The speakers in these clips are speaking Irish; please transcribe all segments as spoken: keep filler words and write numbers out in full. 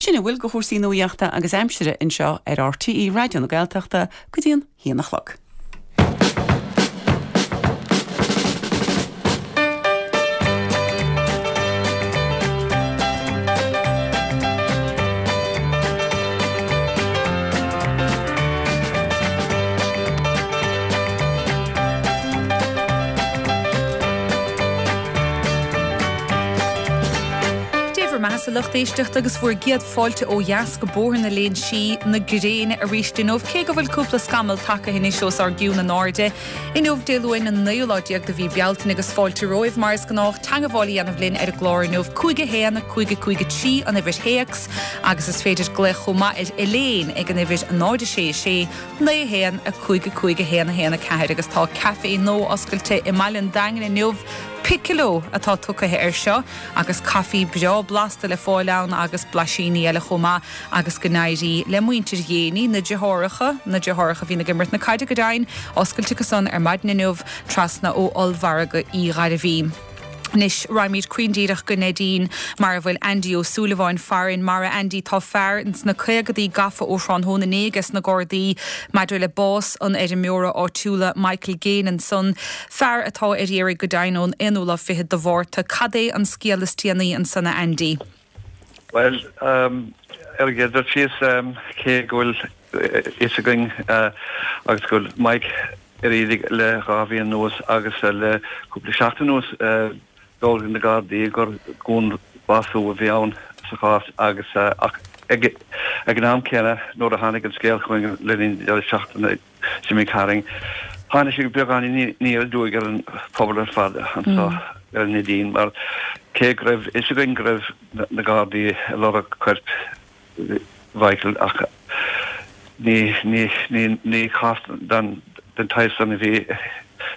Sin a bhfuil de chúrsaí nuachta agus aimsire anseo ar RTÉ Raidió na Gaeltachta go dtí an haon a chlog. Dé bhur mbeatha a lucht éisteachta agus bhur gcéad fáilte ó dheas go Bóthar na Léinsí na gréine arís inniu, cé go bhfuil cúpla scamall tagtha anois os ár gcionn in airde. Inniu Dé Luain an naoú lá déag de mhí Bealtaine agus fáilte romhaibh mar is gnách teagmháil a dhéanamh linn ar an gclár inniu cúig a haon, cúig a cúig a trí an uimhir théacs agus is féidir glaoch chomh maith ar Elaine ag an uimhir náid a sé a sé, naoi a haon, a cúig a cúig a haon a haon a ceathair agus tá caife nua oscailte i mbaile an Daingin inniu. Piccolo atá tugtha air seo agus caife breá blasta le fáil ann agus blaisíní eile chomh maith agus go n-éirí le muintir Ghéiní, na deartháireacha, na deartháireacha a bhíonn ag imirt na caide go deimhin, oscailte acu san ar maidin inniu trasna ó ollmhargadh Uí Ghairbhí. Anois raghaimid cruinn díreach go Neidín mar a bhfuil Andy Ó Súilleabháin farainn. Mar a Andy tá fear ins na caogadaí gafa ó thráthnóna inné ages na Gardaí maidir le bás an fheirmeora áitiúla Michael Gaine ansan, fear atá ar iarraidh go deimhin ón aonú lá fichead de Mhárta. Cad é an scéal is déanaí ansan a Andy? Bhuel, ar an gcéad dul síos, cé go bhfuil fhios againn agus go bhfuil Mike ar iarraidh le dhá mhí anuas agus le cúpla seachtain anuas, d'fhógair na Gardaí gur dúnbhású a bhí ann sa chás agus ach ag an am céanna nuair a tháinig an scéal chugainn le linn deireadh seachtaine seo imigh tharainn, tháinig sé beagán aniar aduaidh ar an phobal ar fad anseo ar an Neidín mar cé go raibh fhios againn go raibh na Gardaí ag lorg coirp Mhichael ach ní ní ní ní cás den den tsaghas san a bhí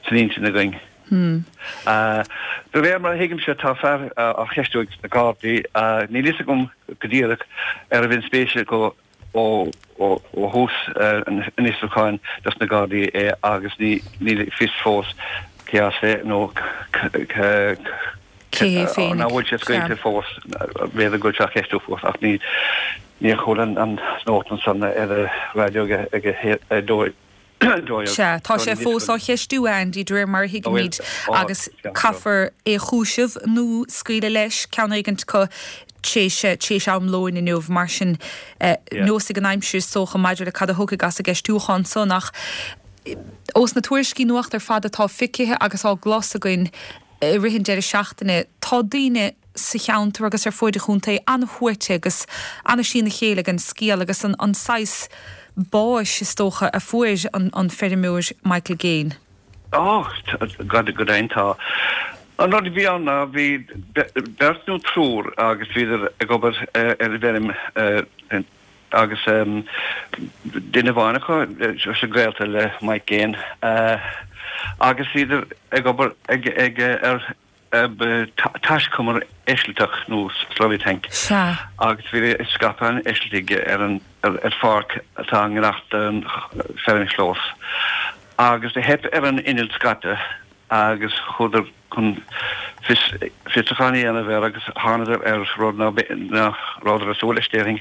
san intinn againn. De réir mar a thuigimse tá fear á cheistiú ag na Gardaí. Níl fhios agam go díreach arbh inspéise acu ó thús an fhiosrúcháin dos na Gardaí é agus níl fios fós cé as é nó cé hé féinig. Nach bhfuil sé scaoilte fós, b'fhéidir go bhfuil sé á cheistiú fós ach níor chuala an nuacht ansan ar an raidió ag a dó. Sea, tá sé fós á cheistiú, a Andy, de réir mar a thuigimid, agus caithfear é a chúiseamh nó scaoileadh leis, ceann éigint acu, tréis am lóin inniu. Mar sin, neosfaidh an aimsir is dócha maidir le cad a thiocfaidh as an gceistiúchán san, ach ós na tuairiscí nuachta ar fad atá feicthe agus á gclos againn i rith an deireadh seachtaine, tá daoine sa cheantar agus ar fuaid an chontae an-shuaite agus an-trína chéile ag an scéal agus an saghas báis, is dócha, a fuair an feirmeoir Michael Gaine. Ó, go deimhin tá. An rud a bhí ann ná bhí beirt nó triúr agus bhíodar ag obair ar an bhfeirm agus duine amháin acu, sé gaolta le Mike Gaine, agus bhíodar ag obair ag ar taiscumar eisilteach nó slurry tank. Sea. Agus bhí ag scaipeadh an eisiltigh ar an ar pháirc atá i ngar don feirmchlós. Agus do theip ar an inneall scaipthe agus chuadar chun fios fiosrúchán a dhéanamh air agus thánadar ar rud ná nach rabhadar ag súil leis déarfainn.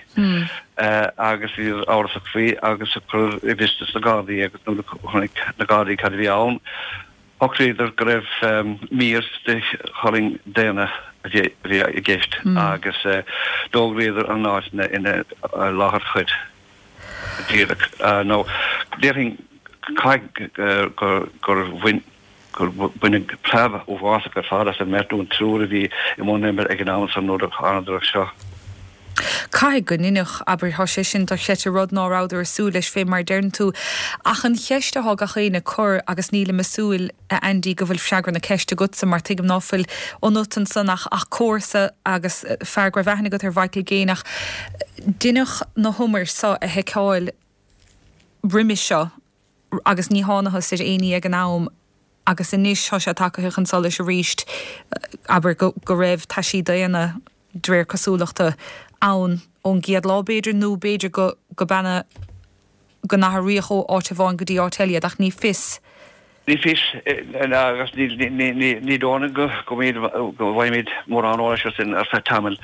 Agus bhíodar amhrasach faoi agus cuireadh i bhfios dos na Gardaí agus nuair a chonaic na Gardaí cad a bhí ann, Shocraíodar go raibh mír de cholainn daonna a bhí i gceist agus d'fhógraíodar an áit ina láthair choir díreach. Nó déarfainn caithfidh gur bhain gur baineadh preab uafásach ar fad as an mbeirt nó an triúr a bhí i mbun oibre ag an am san nuair a thánadar air seo. Caithfidh go ndeineadh, abair, tá sé sin dochreidte, rud ná rabhadar ag súil leis fé mar a deireann tú. Ach an cheist athá gach éinne ag cur, agus nílim ag súil, a Andy, go bhfuil freagra na ceiste agatsa, mar tuigim ná fuil ionat ansan ach ach comharsa agus fear go raibh aithne agat ar Mhichael Gaine, ach deineadh na humair so a sheiceáil roimis seo agus ní thánathas ar éinní ag an am agus anois tá sé tagaithe chun solais arís, abair, go go raibh taisí daonna, de réir cosúlachta, ann ón gcéad lá, b'fhéidir, nó b'fhéidir go go baineadh, go n-athraíodh ó áit amháin go dtí áit eile iad, ach ní fios. Ní fios, agus ní dóigh liom go go bhfaighimid mórán eolais air sin ar feadh tamaill.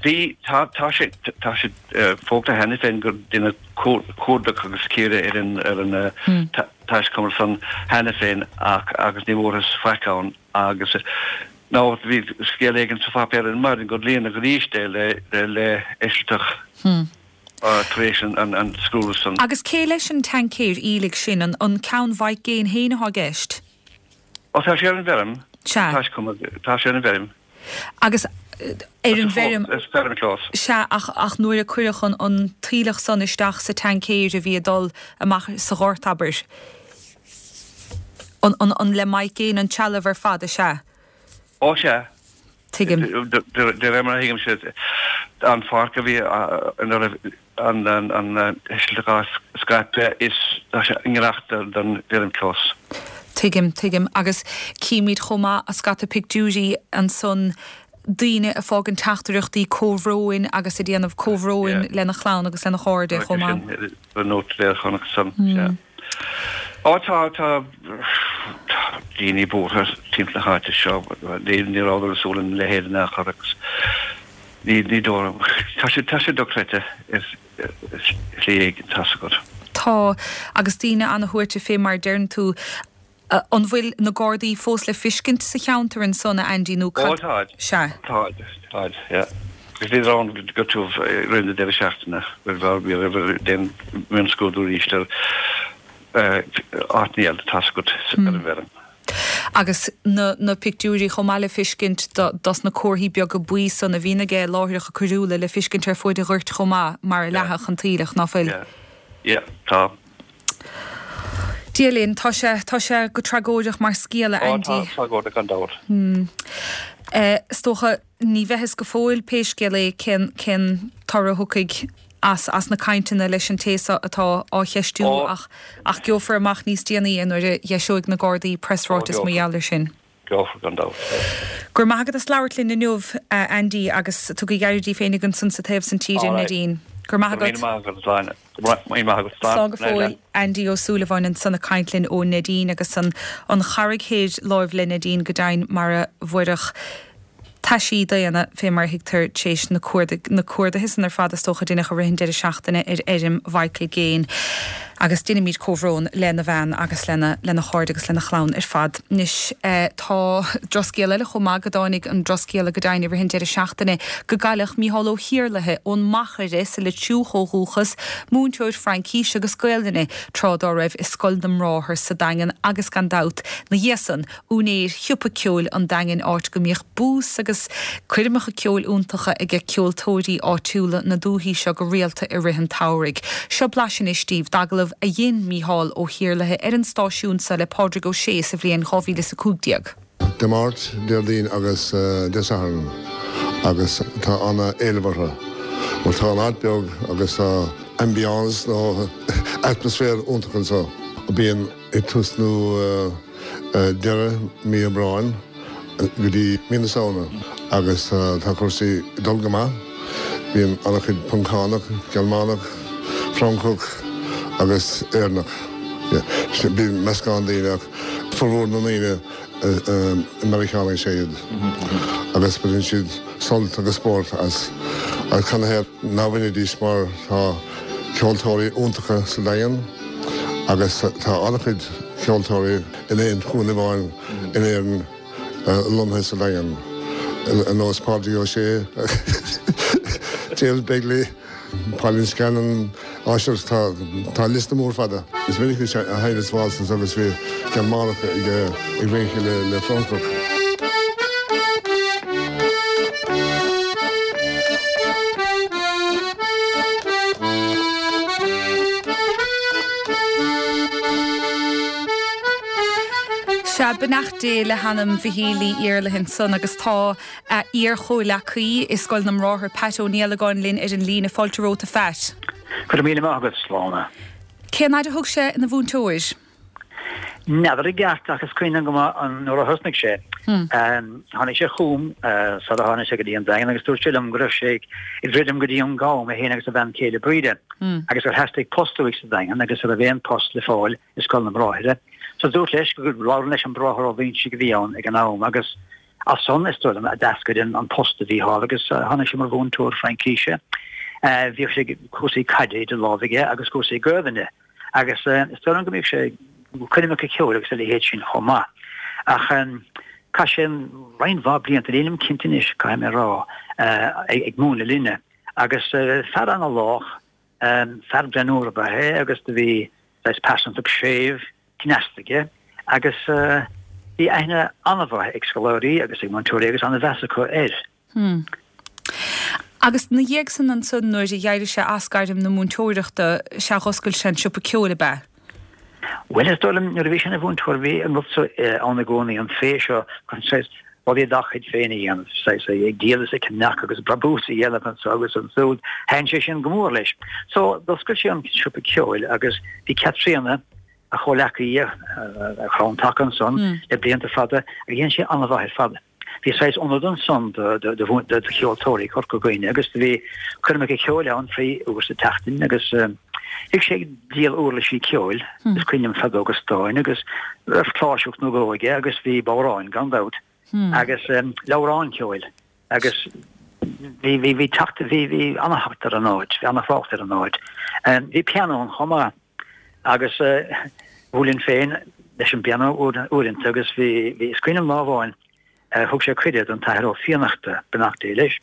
Bhí, tá, tá sé, tá sé fógartha cheana féin gur deineadh cuardach agus cíoradh ar an, ar an taiscumar san cheana féin ach, agus ní bhfuarthas faic ann agus nó bhí scéal éigin sa pháipéar ar maidin gur líonadh arís é le, le eisilteach tar éis an, an scrúdú san. Agus cé leis an tancaer aoiligh sin, an, an ceann Mhaidhc Gain féin atá i gceist? Ó tá sé ar an bhfeirm. Sea. Taiscumar, tá sé ar an bhfeirm. Agus ar an bhfeirm. Is feirmchlós. Sea, ach, ach nuair a cuireadh an, an t-aoileach san isteach sa tancaer a bhí ag dul amach sa ghort, abair, an, an, an le Mike Gaine an trealamh ar fad, is ea? Ó sea. Tuigim. De réir mar a thuigimse, an pháirc a bhí ina raibh an t-eisilteach á scaipeadh, is tá sé i ngiorracht don bhfeirmchlós. Tuigim, tuigim. Agus címid chomh maith scata pictiúirí ansan, daoine ag fágaint teachtaireachtaí comhbhróin agus ag déanamh comhbhróin lena chlann agus lena chairde chomh maith. Sin nóta léir chonaic san, sea. Ó tá, tá daoine buartha timpeall na háite seo, ní rabhadar ag súil lena leithéid in aon chor agus ní, ní dóigh, tá sé, tá sé dochreidte ar shlí éigin, tá's agat. Tá, agus daoine ana-bhuartha fé mar a deireann tú. An bhfuil na Gardaí fós le fiscint sa cheantar ansan, a Andy, nó cad. Ó táid. Sea. Táid, táid, yeah. Agus bhíodar ann go tiubh i rith na deireadh seachtaine, bhíodar ag déanamh mionscrúdú arís ar áiteanna eile, tá's agat, ar an bhfeirm. Agus na na pictiúirí chomh maith le fiscint dos na comharthaí beaga buí san a bhíonn aige láithreacha coiriúla le fiscint ar fuaid an ghoirt chomh maith mar a leathadh an t-aoileach, ná fuil? Yeah, yeah, tá. Dia linn, tá sé, tá sé go tragóideach mar scéal, a Andy. Ó, tá tragóideach gan dabht. Is dócha, ní bheidh fhios go fóill pé scéal é cén, cén toradh a thiocfaidh as, as na cainteanna leis an té seo atá á cheistiú ach, ach gheofar amach níos déanaí é nuair a dh'eiseoidh na Gardaí preasráiteas mar gheall air sin. Gheofar gan dabht. Go raibh maith agat as labhairt linn inniu, a Andy, agus tugaigí aire daoibh féinig ansan sa taobh san tíre, Neidín. Go raibh maith agat. Go raibh míle maith agat, a Shláine. Go raibh míle maith agat. Slán go fóill. Andy Ó Súilleabháin ansan ag caint linn ó Neidín agus an an Charraig Thoir láimh le Neidín go deimhin mar a bhfuaireadh taisí daonna, fé mar a thuigtear, tar éis na cuardaigh, na cuardaithe san ar fad is dócha a deineadh i rith an deireadh seachtaine ar fheirm Mhichael Gaine. Agus deinimid comhbhrón lena bhean agus lena, lena chairde agus lena chlann ar fad. Anois, tá drochscéal eile chomh maith, go dtáinig an drochscéala go deimhin i rith an deireadh seachtaine go gcailleadh Mícheál Ó hIarlaithe ón Machaire sa Leitriúch ó dhúchas, múinteoir Fraincíse agus Gaelainne tráth dá raibh i Scoil na mBráthar sa Daingean agus gan dabht, 'na dhiaidh san, úinéir Shiopa Ceoil an Daingin áit go mbíodh bús agus coirmeacha ceoil iontacha aige ceoltóirí áitiúla na dúichí seo go rialta i rith an tsamhraidh. Seo blaiseadh anois daoibh d'agallamh a dhein Mícheál Ó hIarlaithe ar an stáisiún seo le Pádraig Ó Sé sa bhliain dhá mhíle is a cúig déag. Dé Máirt, Déardaoin agus Dé Sathairn agus tá ana-éileamh orthu mar tá an áit beag agus tá ambiance nó atmaisféar iontach anseo. Bíonn ag tús nó deireadh mí Aibreáin go dtí mí na Samhna agus tá cúrsaí ag dul go maith. Bíonn an-chuid Poncánach, Gearmánach, Francach agus Éireannach. Bíonn meascán daoine ach formhór na ndaoine Meiriceánaigh is ea iad agus baineann siad sult agus spórt as. Ach canathaobh ná bainfidís mar tá ceoltóirí iontacha sa Daingean agus tá an-chuid ceoltóirí in aon chúinne amháin in Éirinn lonnaithe sa Daingean, ar nós Pádraig Ó Sé, James Begley, Pauline Scanlon, á sure tá liosta mór fada. Is minic a sheinneas waltzes agus bhí Gearmánach ag rince le Francach. Sea, beannacht Dé le hanam Mhichíl Uí Iarlaithe ansan agus tá a iar-chomhleacaí i Scoil na mBráthar, Pat Ó Niallagáin linn ar an líne. Fáilte romhat a Phat. Go raibh míle maith agat, Sláine. Cén fhaid a thug sé ina mhúinteoir? N'fheadar i gceart ach is cuimhin liom go maith an nuair a thosnaigh sé. Tháinig sé chugam sara tháinig sé go dtí an Daingean agus dúirt sé liom go raibh sé ag druidim go dtí an Gam, é féin agus a bhean chéile Bríde, agus gur theastaigh post uaidh sa Daingean agus an raibh aon post le fáil i Scoil na mBráithre. So dúrt leis go labhróinn leis an Bráthair Ó Loingsigh a bhí ann ag an am agus As san, is dóigh liom, a d'eascair an post do Mhícheál agus tháinig sé mar mhúinteoir Fraincíse. Bhíodh sé cúrsaí caide idir lámha aige agus cúrsaí Gaelainne agus is dóigh liom go mbíodh sé coirmeacha ceoil agus a leithéid sin chomh maith. Ach chaith sé roinnt mhaith blianta, nílim cinnte anois, caithfidh mé a rá, ag múineadh linne. Agus fear ana-lách, fear greannmhar ab ea é agus do bhí saghas pearsantacht séimh, cneasta aige agus bhí aithne an-mhaith ag scoláirí agus ag múinteoirí agus an-mheas acu air. Hmm. Agus 'na dhiaidh san ansan nuair a d'éirigh sé as gairm na múinteoireachta, sea dh'oscail sé an siopa ceoil ab ea? Bhuel is dóigh liom nuair a bhí sé ina mhúinteoir bhí an rud so ann i gcónaí, an féith seo chun saghas rudaí dá chuid féin a dhéanamh, saghas ag díol is ag ceannach agus brabús a dhéanamh anso agus ansúd. Thaitin sé sin go mór leis. So d'oscail sé an siopa ceoil agus bhí Caitríona, a chomhleacaí, a chrann taca ansan le blianta fada agus dhein sé an-mhaith ar fad. Bhí saghas ionad ansan do cheoltóirí Chorca Dhuibhne agus do bhí coirmeacha ceoil ann trí uair sa tseachtain agus bhíodh sé ag díol uirlisí ceoil, is cuimhin liom feadóga stáin agus raibh cláirseach nó dhó aige agus bhí bodhráin gan dabht agus leabhráin ceoil agus bhí bhí bhí teacht bhí bhí ana-theacht ar an áit, bhí ana-thrácht ar an áit. Bhí pianó ann chomh maith agus bhuailinn féin leis an bpianó uaireanta agus bhí bhí is cuimhin liom lá amháin Thug sé cuireadh don tAthair Ó Fiannachta, beannacht Dé leis,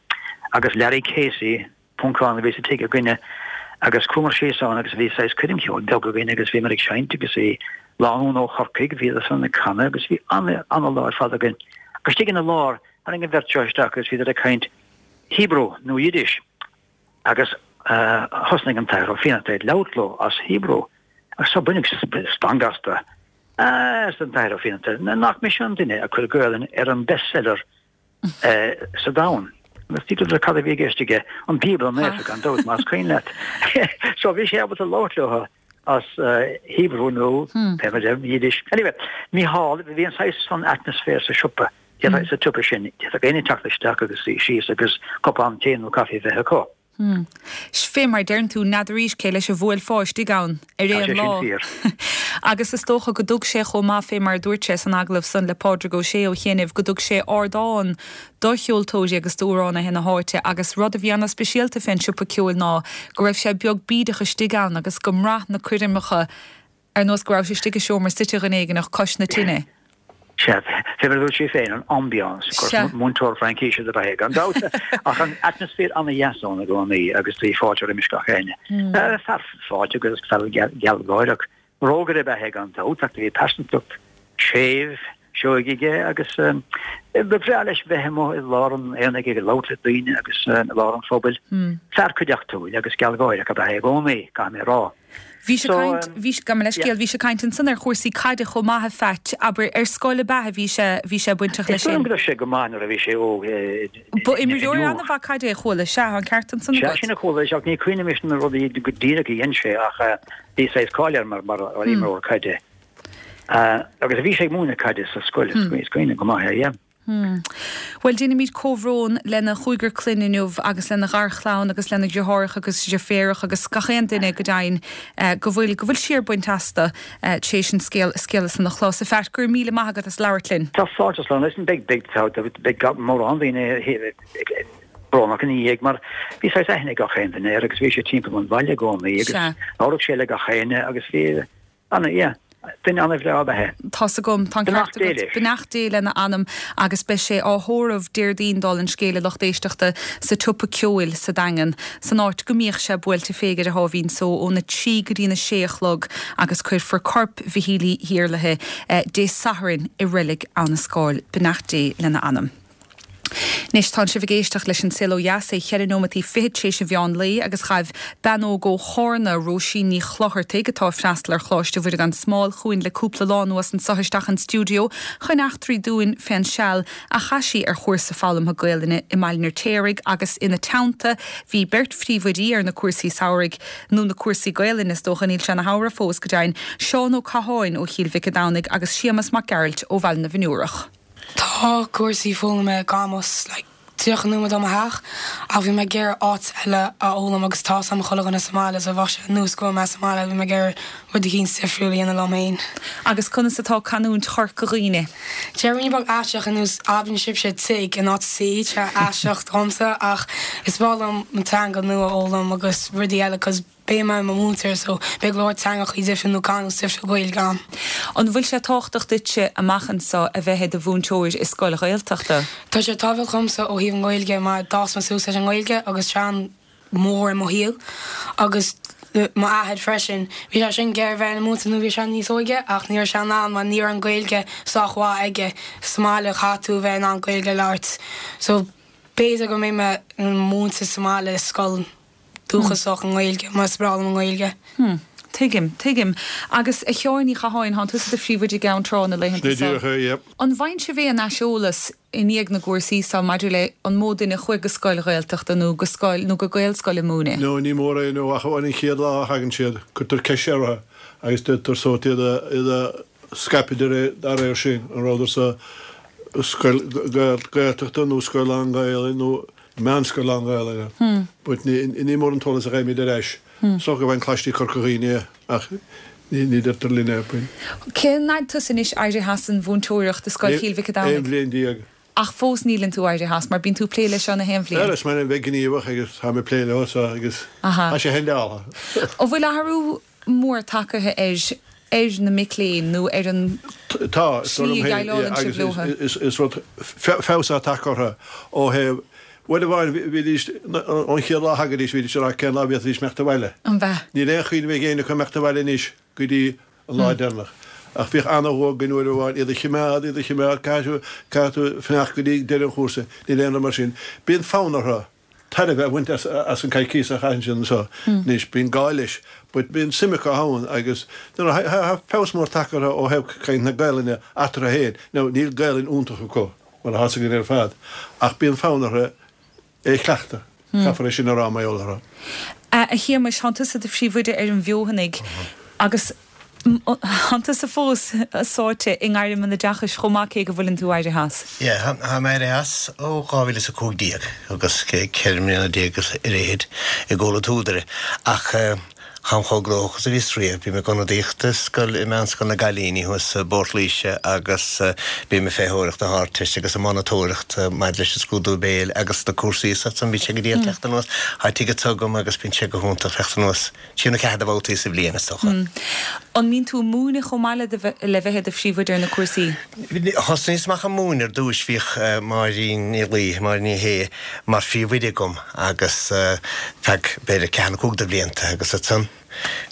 agus Larry Casey, Poncán a bhí sa tigh againne, agus chuamar síos ann agus bhí saghas coirm cheoil beag againn agus bhíomar ag seinnt agus bhí lánúin ó Chorcaigh, bhíodar san ag canadh agus bhí an-lá ar fad againn. Agus istigh ina lár, tháinig an bheirt seo isteach agus bhíodar ag caint Hebrew nó Yiddish agus thosnaigh an tAthair Ó Fiannachta ag labhairt leo as Hebrew agus so baineadh stangadh astu. Arsa an tAthair Ó Fiannachta, nach mise an duine a chuir Gaolainn ar an bestseller sa domhan. Agus d'fhiafraíodar cad a bhí i gceist aige, an Bíobla Naofa gan dabht, más cuimhin leat. So bhí sé ábalta labhairt leo as Hebrew nó pé mar deir, Yiddish. Anyway, Mícheál, bhí an saghas san atmaisféar sa siopa, sa tsiopa sin, d'fhéadfadh éinne teacht isteach agus suí síos agus cupán tae nó caife a bheith acu. Hmm. Fé mar a deireann tú, n'fheadaraís cé leis a bhuailfeá istigh ann ar Tá aon sé sin lá. fíor. Agus is dócha go dtug sé chomh maith, fé mar a dúirt sé san agallamh san le Pádraig Ó Sé ó chianaibh, go dtug sé ardán do cheoltóirí agus d'amhránaithe na háite agus rud a bhí ana-speisialta fén siopa ceoil ná go raibh sé beag bídeach istigh ann agus go mbraith na coirmeacha ar nós go rabhais istigh i seomra suite dhuine éigineach cois na tine. Sea, fé mar a dúirt sé féin, an ambiance, of course, Sea. múinteoir Fraincíse dob ea é, gan dabht, ach an atmaisféar ana-dheas ann i gcónaí agus bhí fáilte roimis gach éinne. Fear fáilteach agus fear gealgháireach. Rógaire ab ea é gan dabht, ach do bhí pearsantacht séimh, seoigh aige agus ba bhreá leis bheith amuigh i lár an aonaigh ag labhairt le daoine agus i lár an phobail. Fear cuideachtúil agus gealgháireach ab ea é i gcónaí, caithfidh mé a rá. Bhí sé So, caint, bhí, gabh mo leithscéal, bhí sé caint ansan ar chúrsaí caide chomh maith a Pheait, abair, ar scoil ab ea a bhí sé, bhí sé bainteach Is leis dóigh liom sin? go raibh sé go maith nuair a bhí sé óg Ba in imreoir inniu. an-mhaith caide é a chuala, sea, tá an ceart ansan Sea, agat. sin a chuala, ach ní cuimhin liom na rudaí go díreach a dhein sé ach bhí saghas cáil air mar mar imreoir caide. Agus bhí sé ag múineadh caide sa scoil, is cuimhin liom go maith é, yeah. Bhuel, déanaimid comhbhrón lena chúigear clainne inniu agus lena gharchlann agus lena dheartháireacha agus deirféaracha agus gach aon duine go deimhin go bhfuil, go bhfuil siar bainte astu tar éis an scéal, scéala san a chlos. A Pheait, go raibh míle maith agat as labhairt linn. Tá fáilte slán leis an beidh, beidh, beidh mórán daoine brónach ina dhiaidh mar bhí saghas aithne ag gach aon duine air agus bhí sé timpeall an bhaile i gcónaí agus labhradh sé le gach éinne agus bhí Ana, yeah. Duine ana-bhreá ab ea é. Tá's agam, tá an ceart Beannacht Dé agat. leis. Beannacht Dé lena anam agus beidh sé á thórramh Déardaoin dála an scéil a lucht éisteachta sa tSiopa Ceoil sa Daingean, san áit go mbíodh sé buailte fé ar a sháimhín só óna trí go dtína sé a chlog agus cuirfear corp Mhichíl Uí hIarlaithe Dé Sathairn i reilig Abha na Scáil. Beannacht Dé lena anam. Anois, tánn sibh ag éisteacht leis An Saol Ó Dheas, é cheithre nóimeataí fichead tar éis an mheán lae agus ghaibh bean óg ó Chárna, Róisín Ní Chlochartaigh, atá ag freastal ar Choláiste Mhuire gan Smál, chugainn le cúpla lá anuas anso isteach an stiúideo chun eachtraí dúinn fén seal a chaith sí ar chúrsa foghlamtha Gaelainne i mBaile an Fheirtéaraigh agus ina teannta bhí beirt phríomhoidí ar na cúrsaí samhraidh, nó na cúrsaí Gaelainne is dócha, níl sé ina shamhradh fós go deimhin, Seán Ó Catháin ó Chill Mhic a' Domhnaigh agus Séamas Mac Gearailt ó Bhaile na bhFionnúrach. Tá cúrsaí foghlama Gamus like tríocha nóiméad ó mo theach ach bhí mé ag iarraidh áit eile a fhoghlaim agus tá am chuile dhuine sa mbaile so bheadh sé ar nós go bhfuil mé sa mbaile bhí mé ag iarraidh rud éicint difriúil a dhéanamh liom féin. Agus conas atá canúint Chorca Dhuibhne? Déarfainn beag aisteach ar nós abraíonn sibhse tigh in áit tí tá aisteach domsa ach is breá liom an teanga nua a fhoghlaim agus rudaí eile cos beidh mé i mo mhúinteoir so beidh go leor teangachaí difriúil nó canúint difriúil Gaeilge agam. An bhfuil sé tábhachtach duitse amach anseo a bheith i do mhúinteoir i scoil Ghaeltachta? Tá sé tábhachtach domsa ó thaobh an Ghaeilge mar d'fhás mé suas leis an nGaeilge agus tá sé mór i mo shaol agus m'athair freisin. Bhí sé sin ag iarraidh bheith ina mhúinteoir nuair bhí sé níos óige ach ní raibh sé in ann mar ní raibh an Ghaeilge sách mhaith aige sa mbaile chaithfidh tú bheith in ann Gaeilge a labhairt. So b'fhéidir go mbeidh mé múinteoir sa mbaile i scoil dúchasach an Ghaeilge mar is breá liom an Ghaeilge. Hmm. Tuigim, tuigim. Agus a Sheáin Uí Chatháin thánn tusa i do phríomhoide i gCeann Trá na laethanta seo. An bhfaigheann sibh aon aiseolas i ndiaidh na gcúrsaí seo maidir le an mó duine a chuaigh go scoil Ghaeltachta nó go scoil nó go Gaelscoil ag múineadh? No, ní mór é nó ach amháin an chéad lá a thagann siad, cuirtear ceist orthu agus deirtear sórt iad a iad a scaipeadh de réir dá réir sin, an rabhadar sa scoil Gaeltachta nó scoil lán-Ghaelainne nó meánscoil lán-Ghaelainne. But ní ní mór an t-eolas a gheibhimid ar ais. Is dócha go bhfaigheann Coláistí Chorca Dhuibhne ach ní ní deirtear linn é. Cén fhad tusa anois éirithe as an mhúinteoireacht i Scoil Chill Mhic an Aon Domhnaigh? bhliain déag. Ach fós níleann tú éirithe as mar bíonn tú ag plé leis seo na haon bhliain. Bhuel, is maith liom bheith gníomhach agus táim ag plé leo so agus Aha. tá sé handáilte. An bhfuil athrú mór tagtha ar ar na mic léinn nó ar an Tá, is dóigh slí liom a féin, yeah, dhéileálann sibh agus leo? is is rud feabhas atá tagtha orthu ó thaobh uair amháin bhídís ón chéad lá a thagaidís bhídís ag rá cén lá a bhféadfaidís imeacht abhaile. An b'ea? Níl aon chuimhne ag éinne acu imeacht abhaile anois go dtí an lá deireanach. Ach bhíodh ana-dhua againn uair amháin iad a chimeád, iad a chimeád, caithfidh tú, caithfidh tú fanacht go dtí deireadh an chúrsa, níl aon rud mar sin. Bíonn fonn orthu tairbhe a bhaint as, as an coicís a chaitheann siad anseo. Anois, bíonn gá leis, but bíonn suim acu ann agus tá feabhas mór tagtha orthu ó thaobh caint na Gaelainne eatarthu féin. Now, níl Gaelainn iontach acu, mar atá a fhios againn ar fad, ach bíonn fonn orthu é a chleachtadh. Caithfear é sin a rá mar gheall orthu. A Shéamais, thánn tusa i do phríomhoide ar an bhFeothanaigh agus thánn tusa fós sáite i ngairm an oideachais chomh maith cé go bhfuileann tú éirithe as. Yeah, tá mé éirithe as ó dhá mhíle is a cúig déag agus ceithre mbliana déag ar fhichid i gComhlucht Údaire ach táim chomh gnóthach is a bhíos riamh. Bím ag ionadaíocht i scoil i Meánscoil na gCailíní thuas i bPort Laoise agus bím ag féitheoireacht na hArdteiste agus ag monatóireacht maidir leis an scrúdú béil agus na cúrsaí is san bíonn sé go diail teacht anuas. Tá tickets agam agus bíonn sé go hiontach teacht anuas trí nó ceathair de bhabhtaí sa bhliain is dócha. An mbíonn tú ag múineadh chomh maith le bheith i do phríomhoide ar na cúrsaí? Thosnaíos amach ag múineadh ar dtúis bhíodh Máirín Ní Laoi, Máirín Ní Shé mar phríomhoide agam agus feadh b'fhéidir ceathair nó cúig de bhlianta agus ansan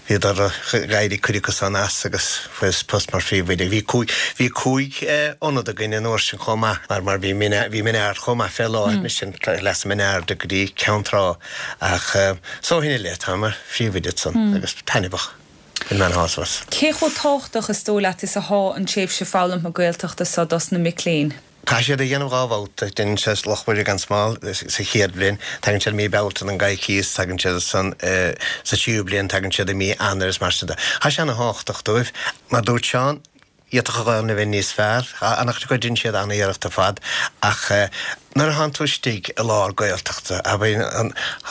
bhíodar ag éirí cuid acu san as agus fuaireas post mar phríomhoide. Bhí cúig bhí cúig ionad againn an uair sin chomh maith mar mar bhí bhí Min Ard chomh maith fé láthair anois sin Leasa Min Aird go dtí Ceann Trá ach so ó shin i leith tá mar phríomhoide ansan agus taitneamhach. Bhain mé an-shásamh as. Cé chomh tábhachtach is dóigh leat is athá an tréimhse foghlamtha Gaeltachta seo dos na mic léinn? Caithfidh siad a dhéanamh dhá bhabhta. Déanann siad Loch Mhuire gan Smál sa chéad bhliain, tagann siad i mí Bealtaine don gcoicíos, tagann siad san sa tríú bliain, tagann siad i mí Eanáir is mar sin de. Tá sé ana-thábhachtach dóibh. Mar dúirt Seán, d'fhéadfadh an Ghaelainn a bheith níos fearr. An-chuid acu déanann siad an-iarracht ar fad ach nuair a thánn tú istigh i lár Gaeltachta, abair,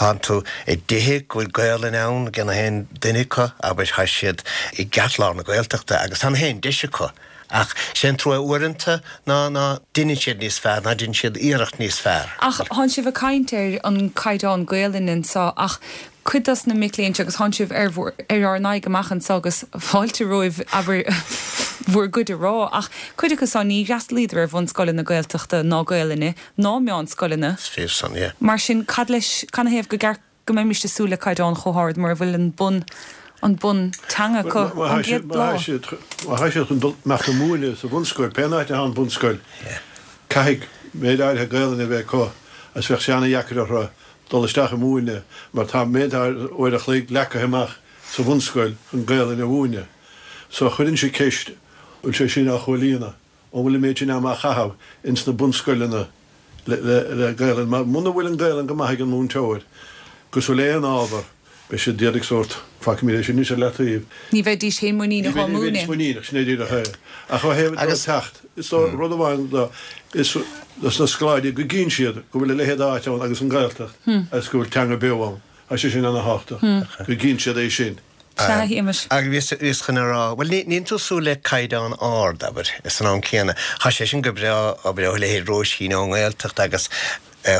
thánn tú i dtithe go bhfuil Gaelainn ann ag na haon duine acu, abair, tá siad i gceartlár na Gaeltachta agus tá na haon deis acu. Ach sé an trua uaireanta ná ná deineann siad níos fearr, ná deineann siad iarracht níos fearr. Ach thánn sibh ag caint ar an caighdeán Gaelainne anseo ach cuid dos na mic léinn seo agus thánn sibh ar bhur, ar ár n-aghaidh amach anseo agus fáilte romhaibh abair bhur gcuid a rá ach cuid acu seo ní fhreastalaíodar ar bhunscoileanna Gaeltachta ná Gaelainne ná meánscoileanna. Is fíor san, yeah. Mar sin cad leis, canathaobh go gceart go mbeimis ag súil le caighdeán chomh hard mura bhfuil an bun an bun teanga acu ón gcéad lá? Má tá siad chun dul amach ag múineadh sa bhunscoil, pé áit atá an bunscoil, caithfidh méid áirithe Gaelainne a bheith acu agus bheadh sé ana-dheacair orthu dul isteach ag múineadh mar tá méid áirithe uair a chloig leagtha amach sa bhunscoil chun Gaelainn a mhúineadh. So chuireann sé ceist, bhfuil sé sin á chomhlíonadh? An bhfuil an méid sin ama á chaitheamh ins na bunscoileanna le le Gaelainn? Mar muna bhfuil an Gaelainn go maith ag an múinteoir, cosúil le aon ábhar, beidh siad d'iarraidh sórt Fágfaimid é sin anois ar leataobh. Ní bheidís féin muiníneach á Ní bheidís múineadh. muiníneach, sin é díreach é. Ach ó thaobh Agus. teacht, is dóigh rud amháin do is dos na scoláirí go gcíonn siad go bhfuil a leithéid d'áit ann agus an Ghaeltacht agus go bhfuil teanga beo ann. Tá sé sin ana-thábhachtach, go gcíonn siad é sin. Sea, a Shéamais. Agus bhíos chun a rá, bhuel, níl tú ag súil le caighdeán ard, abair, san am céanna. Tá sé sin go breá, abair, ó leithéid Róisín ón nGaeltacht agus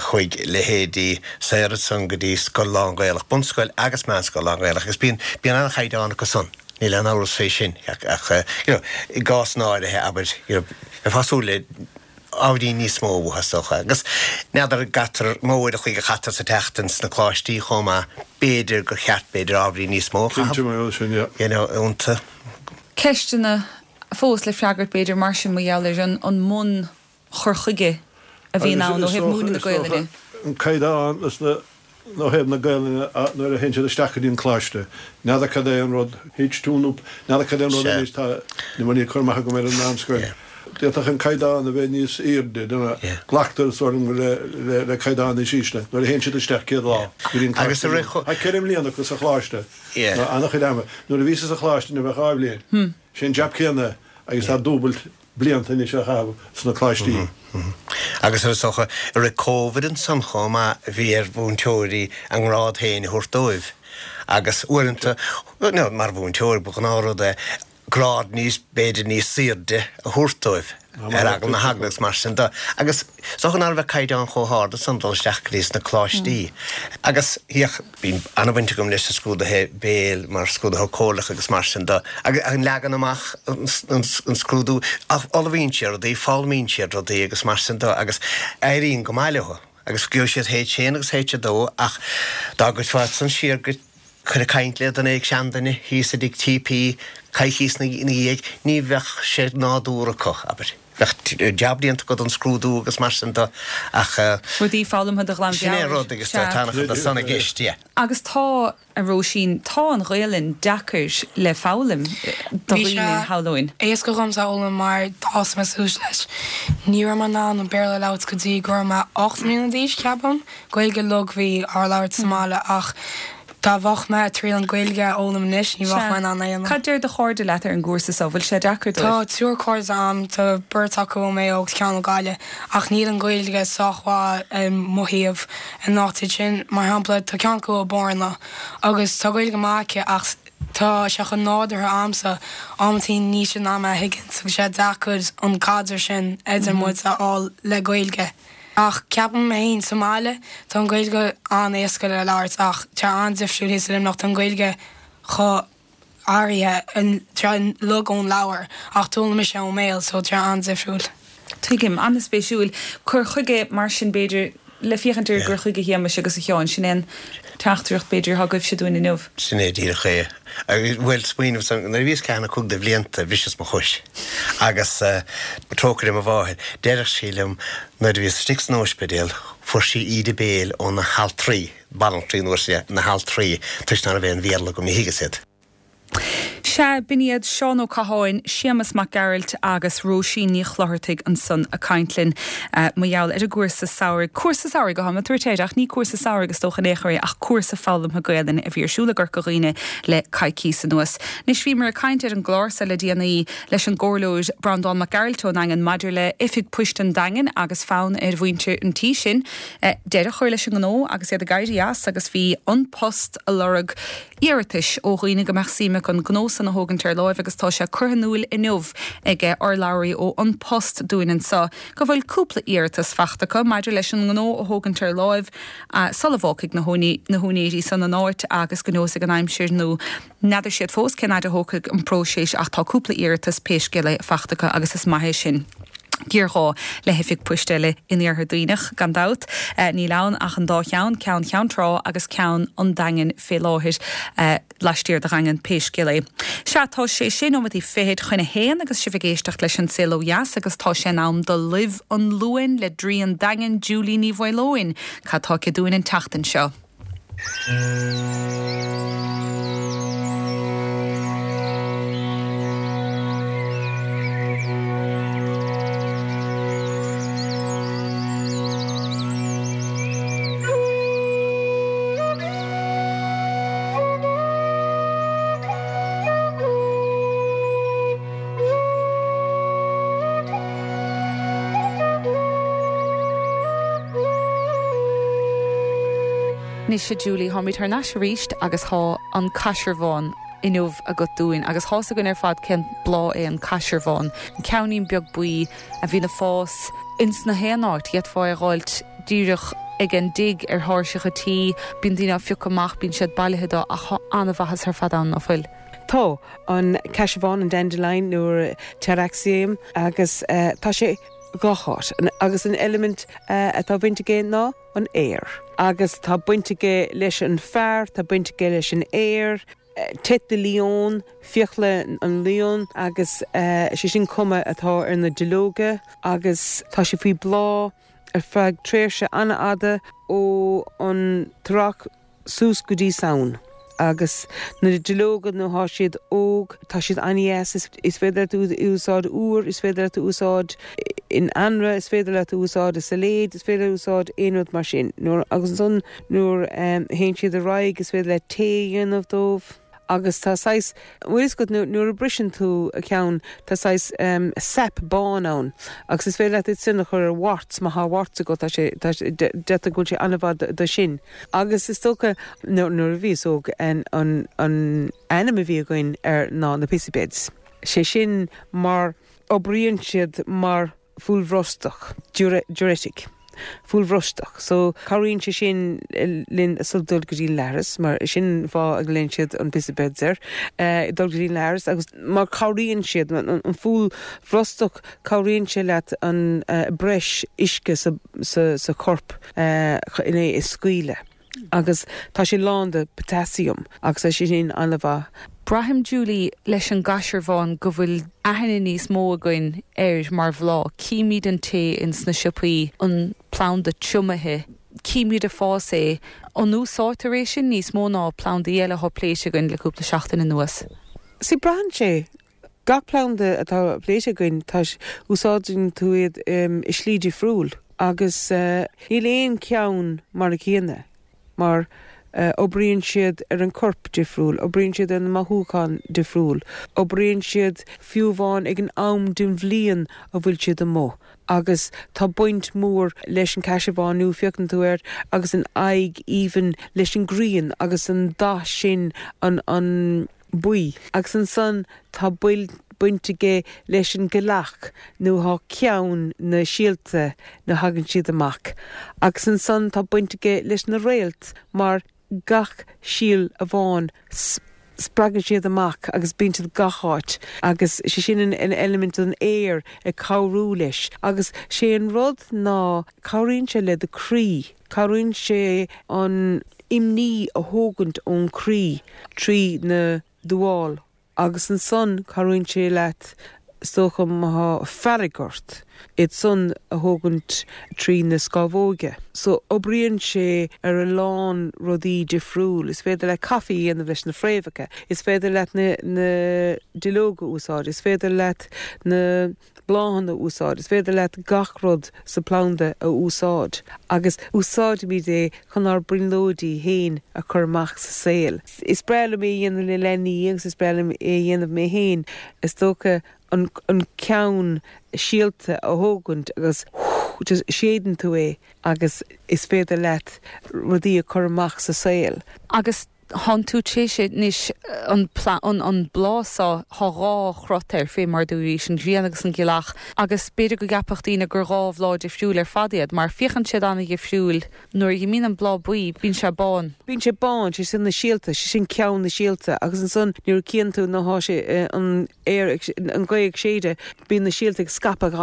chuig leithéidí Sarah san go dtí scoil lán-Ghaelach, bunscoil agus meánscoil lán-Ghaelach, agus bíonn bíonn an-chaighdeán acu san. Níl aon amhras fé sin, ach, ach you know, i gcás áirithe, abair, you know, bheifeá ag súil le ábhairín níos mó uathu, is dócha. Agus n'fheadar an gcaitear mó uair a chloig a chaitear sa tseachtain sna coláistí chomh maith, b'fhéidir gur cheart b'fhéidir ábhairín níos mó a Cinnte chaitheamh, mar sin, yeah. you know, iontu. Ceisteanna fós le freagairt b'fhéidir mar sin mar gheall ar an an mbun chur chuige a bhíonn ann ó thaobh múineadh na Gaelainne. An caighdeán is na ó thaobh na Gaelainne nuair a théann siad isteach go dtí an coláiste. N'fheadar cad é an rud H two nó n'fheadar cad é an rud Sea. anois tá ní bhfuil cur amach agam ar an meánscoil. Yeah. D'fhéadfadh an caighdeán a bheith níos airde, Yeah. glactar sort le le le caighdeán níos ísle nuair a théann siad isteach céad lá go dtí an Agus coláiste. a rith cho- Tá ceithre mbliana acu sa choláiste. Yeah. Nó an-chuid ama. Nuair a bhí sa choláiste ní bheadh dhá bhliain. Sin jab céanna agus tá dúbailt blianta anois a chaitheamh sna coláistí. Agus ar socha i rith Covid ansan chomh maith bhí ar mhúinteoirí a ngrád féin a thabhairt dóibh. Agus uaireanta, no, mar mhúinteoir ba ghnáthrud é grád níos b'fhéidir níos airde a thabhairt dóibh ar eagla na heagla agus mar sin de. Agus so ná bheith caighdeán chomh hard san dul isteach go dtí sna coláistí. Agus híoch bhí an-bhaint agam leis na scrúduithe béil mar scrúduithe comhairleach agus mar sin de. Agus an leagan amach an, an, an scrúdú ach ullmhaíonn siad rudaí, foghlaimíonn siad rudaí agus mar sin de agus éiríonn go maith leo. Agus gheobhaidh siad H haon agus H a dó ach dá gcuirfeá san siar go chur ag caint le duine ag seanduine thíos i dtigh T P coicís ina dhiaidh, ní bheadh sé nádúrtha acu, abair. Bheadh jab déanta acu don scrúdú agus mar sin de ach Rudaí foghlamtha de ghlan sin é mheabhair. rud agus tá Sea. an-chuid de san i gceist, yeah. Agus tá a Róisín, tá an Ghaelainn deacair le foghlaim do Bhí dhaoine sé shamhlóinn. éasca dhomsa a fhoghlaim mar d'fhás mé suas leis. Ní raibh mé in ann an Béarla a labhairt go dtí go raibh mé ocht mbliana d'aois ceapaim, Gaeilge lag bhí á labhairt sa mbaile ach dá bheadh mé ag triail an Ghaeilge a fhoghlaim anois ní bheadh mé in ann é a dhéanamh. Cad deir do chairde leat ar an gcúrsa so bhfuil sé deacair Tá dóibh? triúr cairde agam, tá beirt acu ó Maigh Eo agus ceann ó Gaillimh, ach níl an Ghaeilge sách mhaith i mo thaobh in áit sin. Mar shampla tá ceann acu ó Bhorna agus tá Gaeilge maith aici ach tá sé chomh nádúrtha a'msa amantaí níl sí in ann mé a thuiscint agus sé deacair an caidreamh sin idir muid a fháil le Gaeilge. Ach ceapaim mé féin sa mbaile tá an Ghaeilge an-éasca le labhairt ach tá an-difriúil thíos i Luimneach tá an Ghaeilge chomh áirithe tá lag ón leabhar ach d'fhoghlaim mise ón mbéal so tá an-difriúil. Tuigim an-spéisiúil cur chuige mar sin b'fhéidir le féachaint ar gur chuige Shéamais agus a Sheáin sin an teachtaireacht b'fhéidir atá agaibhse dúinn inniu. Sin é díreach é. Agus bhuel smaoineamh san nuair a bhíos ceathair nó cúig de bhlianta bhriseas mo chois. Agus uh, trócaire mo mháthair, deireadh sí liom nuair a bhíos istigh san ospidéal, fuair sí íde béil ó na haltraí, banaltraí nuair sé na haltraí, toisc nach raibh aon Bhéarla agam ní thuigeadh siad. Sea b'in iad Seán Ó Catháin, Séamus Mac Gearailt agus Róisín Ní Chlochartaigh ansan ag caint linn uh, mar gheall ar an gcúrsa samhraidh. Cúrsa samhraidh go háirithe ach ní cúrsa samhraidh is dócha in aon chor é ach cúrsa foghlamtha Gaelainne a bhí ar siúl i gCorca Dhuibhne le coicís anuas. Anois bhíomar ag caint ar an gclár seo le déanaí leis an gcomhairleoir Breandán Mac Gearailt ón Daingean maidir le oifig poist an Daingin agus fonn ar mhuintir an tí sin uh, deireadh a chur leis an ngnó agus iad ag éirí as agus bhí An Post ag lorg iarratais ó dhaoine go mbeadh suim acu an gnó san a thógaint ar láimh agus tá sé curtha in iúl inniu ag urlabhraí ó An Post dúinn anseo go bhfuil cúpla iarratas faighte acu maidir leis an ngnó a thógaint ar láimh uh, sula bhfágfaidh na na húinéirí san an áit agus go neosfaidh an aimsir nó n'fheadar siad fós cén fhad a thógfaidh an próiseas ach tá cúpla iarratas pé scéal é faighte acu agus is maith é sin. Géarghá le hoifig poist eile in iarthar Duibhneach gan dabht uh, níl ann ach an dá cheann ceann Cheann Trá agus ceann an Daingin fé láthair uh, laistiar den Daingean pé scéal é. Sea tá sé sé nóiméad fichead chun a haon agus sibh ag éisteacht leis an Saol Ó Dheas agus tá sé in am do Luibh an Luain le Draoi an Daingin Julie Ní Mhaoileoin, Cad tá aici dúinn an tseachtain seo. Anois a Julie tháimid thar n-ais arís agus tá an caisearbhán inniu agat dúinn agus tá a fhios againn ar fad cén bláth é an caisearbhán, an ceainnín beag buí a bhíonn ag fás ins na haon áit, d'fhéadfá é a dh'fháilt díreach ag an dtigh ar thairseach an tí, bíonn daoine á phiocadh amach, bíonn siad bailithe dó ach tá an-mhaitheas ar fad ann ná fuil. Tá an caisearbhán an dandelion nó Taraxacum agus uh, tá sé gach áit agus an eilimint uh, atá baint aige ná an aer. Agus tá baint aige leis an fear, tá baint aige leis an aer, tête de lion, fiacla an leon agus uh, sé sin cuma atá ar na duilleoga agus tá sé faoi bláth ar feadh tréimhse an-fhada ó an t-earrach suas go dtí Samhain. agus na duilleoga nuair atá siad óg tá siad an-deas is féidir tú úsáid úr, is féidir tú úsáid in anraith, is féidir le tú úsáid i sailéad, is féidir úsáid aon rud mar sin. Nuair agus ansan nuair um, théann siad ar aghaidh is féidir le tae a dhéanamh dóibh. agus tá sais bhfuil nuair a briseann tú a ceann tá sais um, sap bán ann agus is féidir leat é sin a chur ar warts má tá warts agat tá sé deirtear go bhfuil sé an-mhaith do sin. Agus is dócha nuair a bhíos óg an an an ainm a bhí againn air ná na pissabeds. Sé sin mar oibríonn siad mar fualbhrostach diuretic. Fualbhrostach, so cabhraíonn sé sin linn sul dul go dtí leithreas, mar sin fáth a nglaonn siad an pissabeds air uh, dul go dtí leithreas agus mar cabhraíonn siad an, an fualbhrostach cabhraíonn sé leat an uh, breis uisce sa, sa, sa chorp uh, in é is scaoileadh. Agus tá sé lán de potassium agus é sin an-mhaith. Braithim Julie leis an gcaisearbhán go bhfuil aithne níos mó againn air mar bhláth, Címid an tae ins na siopaí an planda triomaithe, Címid ag fás é an úsáidtear é sin níos mó ná plandaí eile atá pléite againn le cúpla seachtain anuas. Sí braitheann sé gach planda atá pléite againn tá úsáideann tú iad um, i slí difriúil agus uh, níl aon ceann mar a chéile mar uh, oibríonn siad ar an corp difriúil, oibríonn siad ar na mothúcháin difriúil, oibríonn siad fiú amháin ag an am den bhliain a bhfuil siad amuigh. Agus tá baint mór leis an caisearbhán nó féachann tú air agus an aghaidh aoibhinn leis an grian agus an dath sin an an buí. Agus ansan tá buil baint aige leis an gealach nó thá ceann na síolta nuair thagann siad amach. Agus ansan tá baint aige leis na réalt mar gach síol amháin spreagann siad amach agus bíonn siad gach áit agus sé sin an, an eilimint an aer ag cabhrú leis agus sé an rud ná cabhraíonn sé le do chroí, cabhraíonn sé an imní a thógaint ón croí trí na duáil agus ansan cabhraíonn sé leat is dócha má tá fearg ort iad san a thógaint trí na scamhóga. So oibríonn sé ar a lán rudaí difriúil, is féidir le caife a dhéanamh leis na fréamhacha, is féidir leat na, na duilleoga úsáid, is féidir leat na bláthanna úsáid, is féidir leat gach rud sa planda a úsáid. Agus úsáidimid é chun ár brionglóidí féin a chur amach sa saol. Is breá liom é a dhéanamh le leanaí agus is breá liom é a dhéanamh mé féin is dócha an, an ceann síolta a thógaint agus just séideann tú é agus is féidir leat rudaí a chur amach sa saol. Agus thánn tú sé anois an an, an bláth seo tá dhá chruth air fé mar dúirt an ghrian agus an ghealach agus b'fhéidir go gceapfadh daoine gur dhá bhláth difriúil ar fad iad, mar féachann siad an-difriúil nuair a bhíonn an bláth buí bíonn sé bán. Bíonn sé bán sé sin na síolta sé sin ceann na síolta agus ansan nuair a chíonn tú ná sé eh, an aer an ghaoth ag séideadh bíonn na síolta ag scaipeadh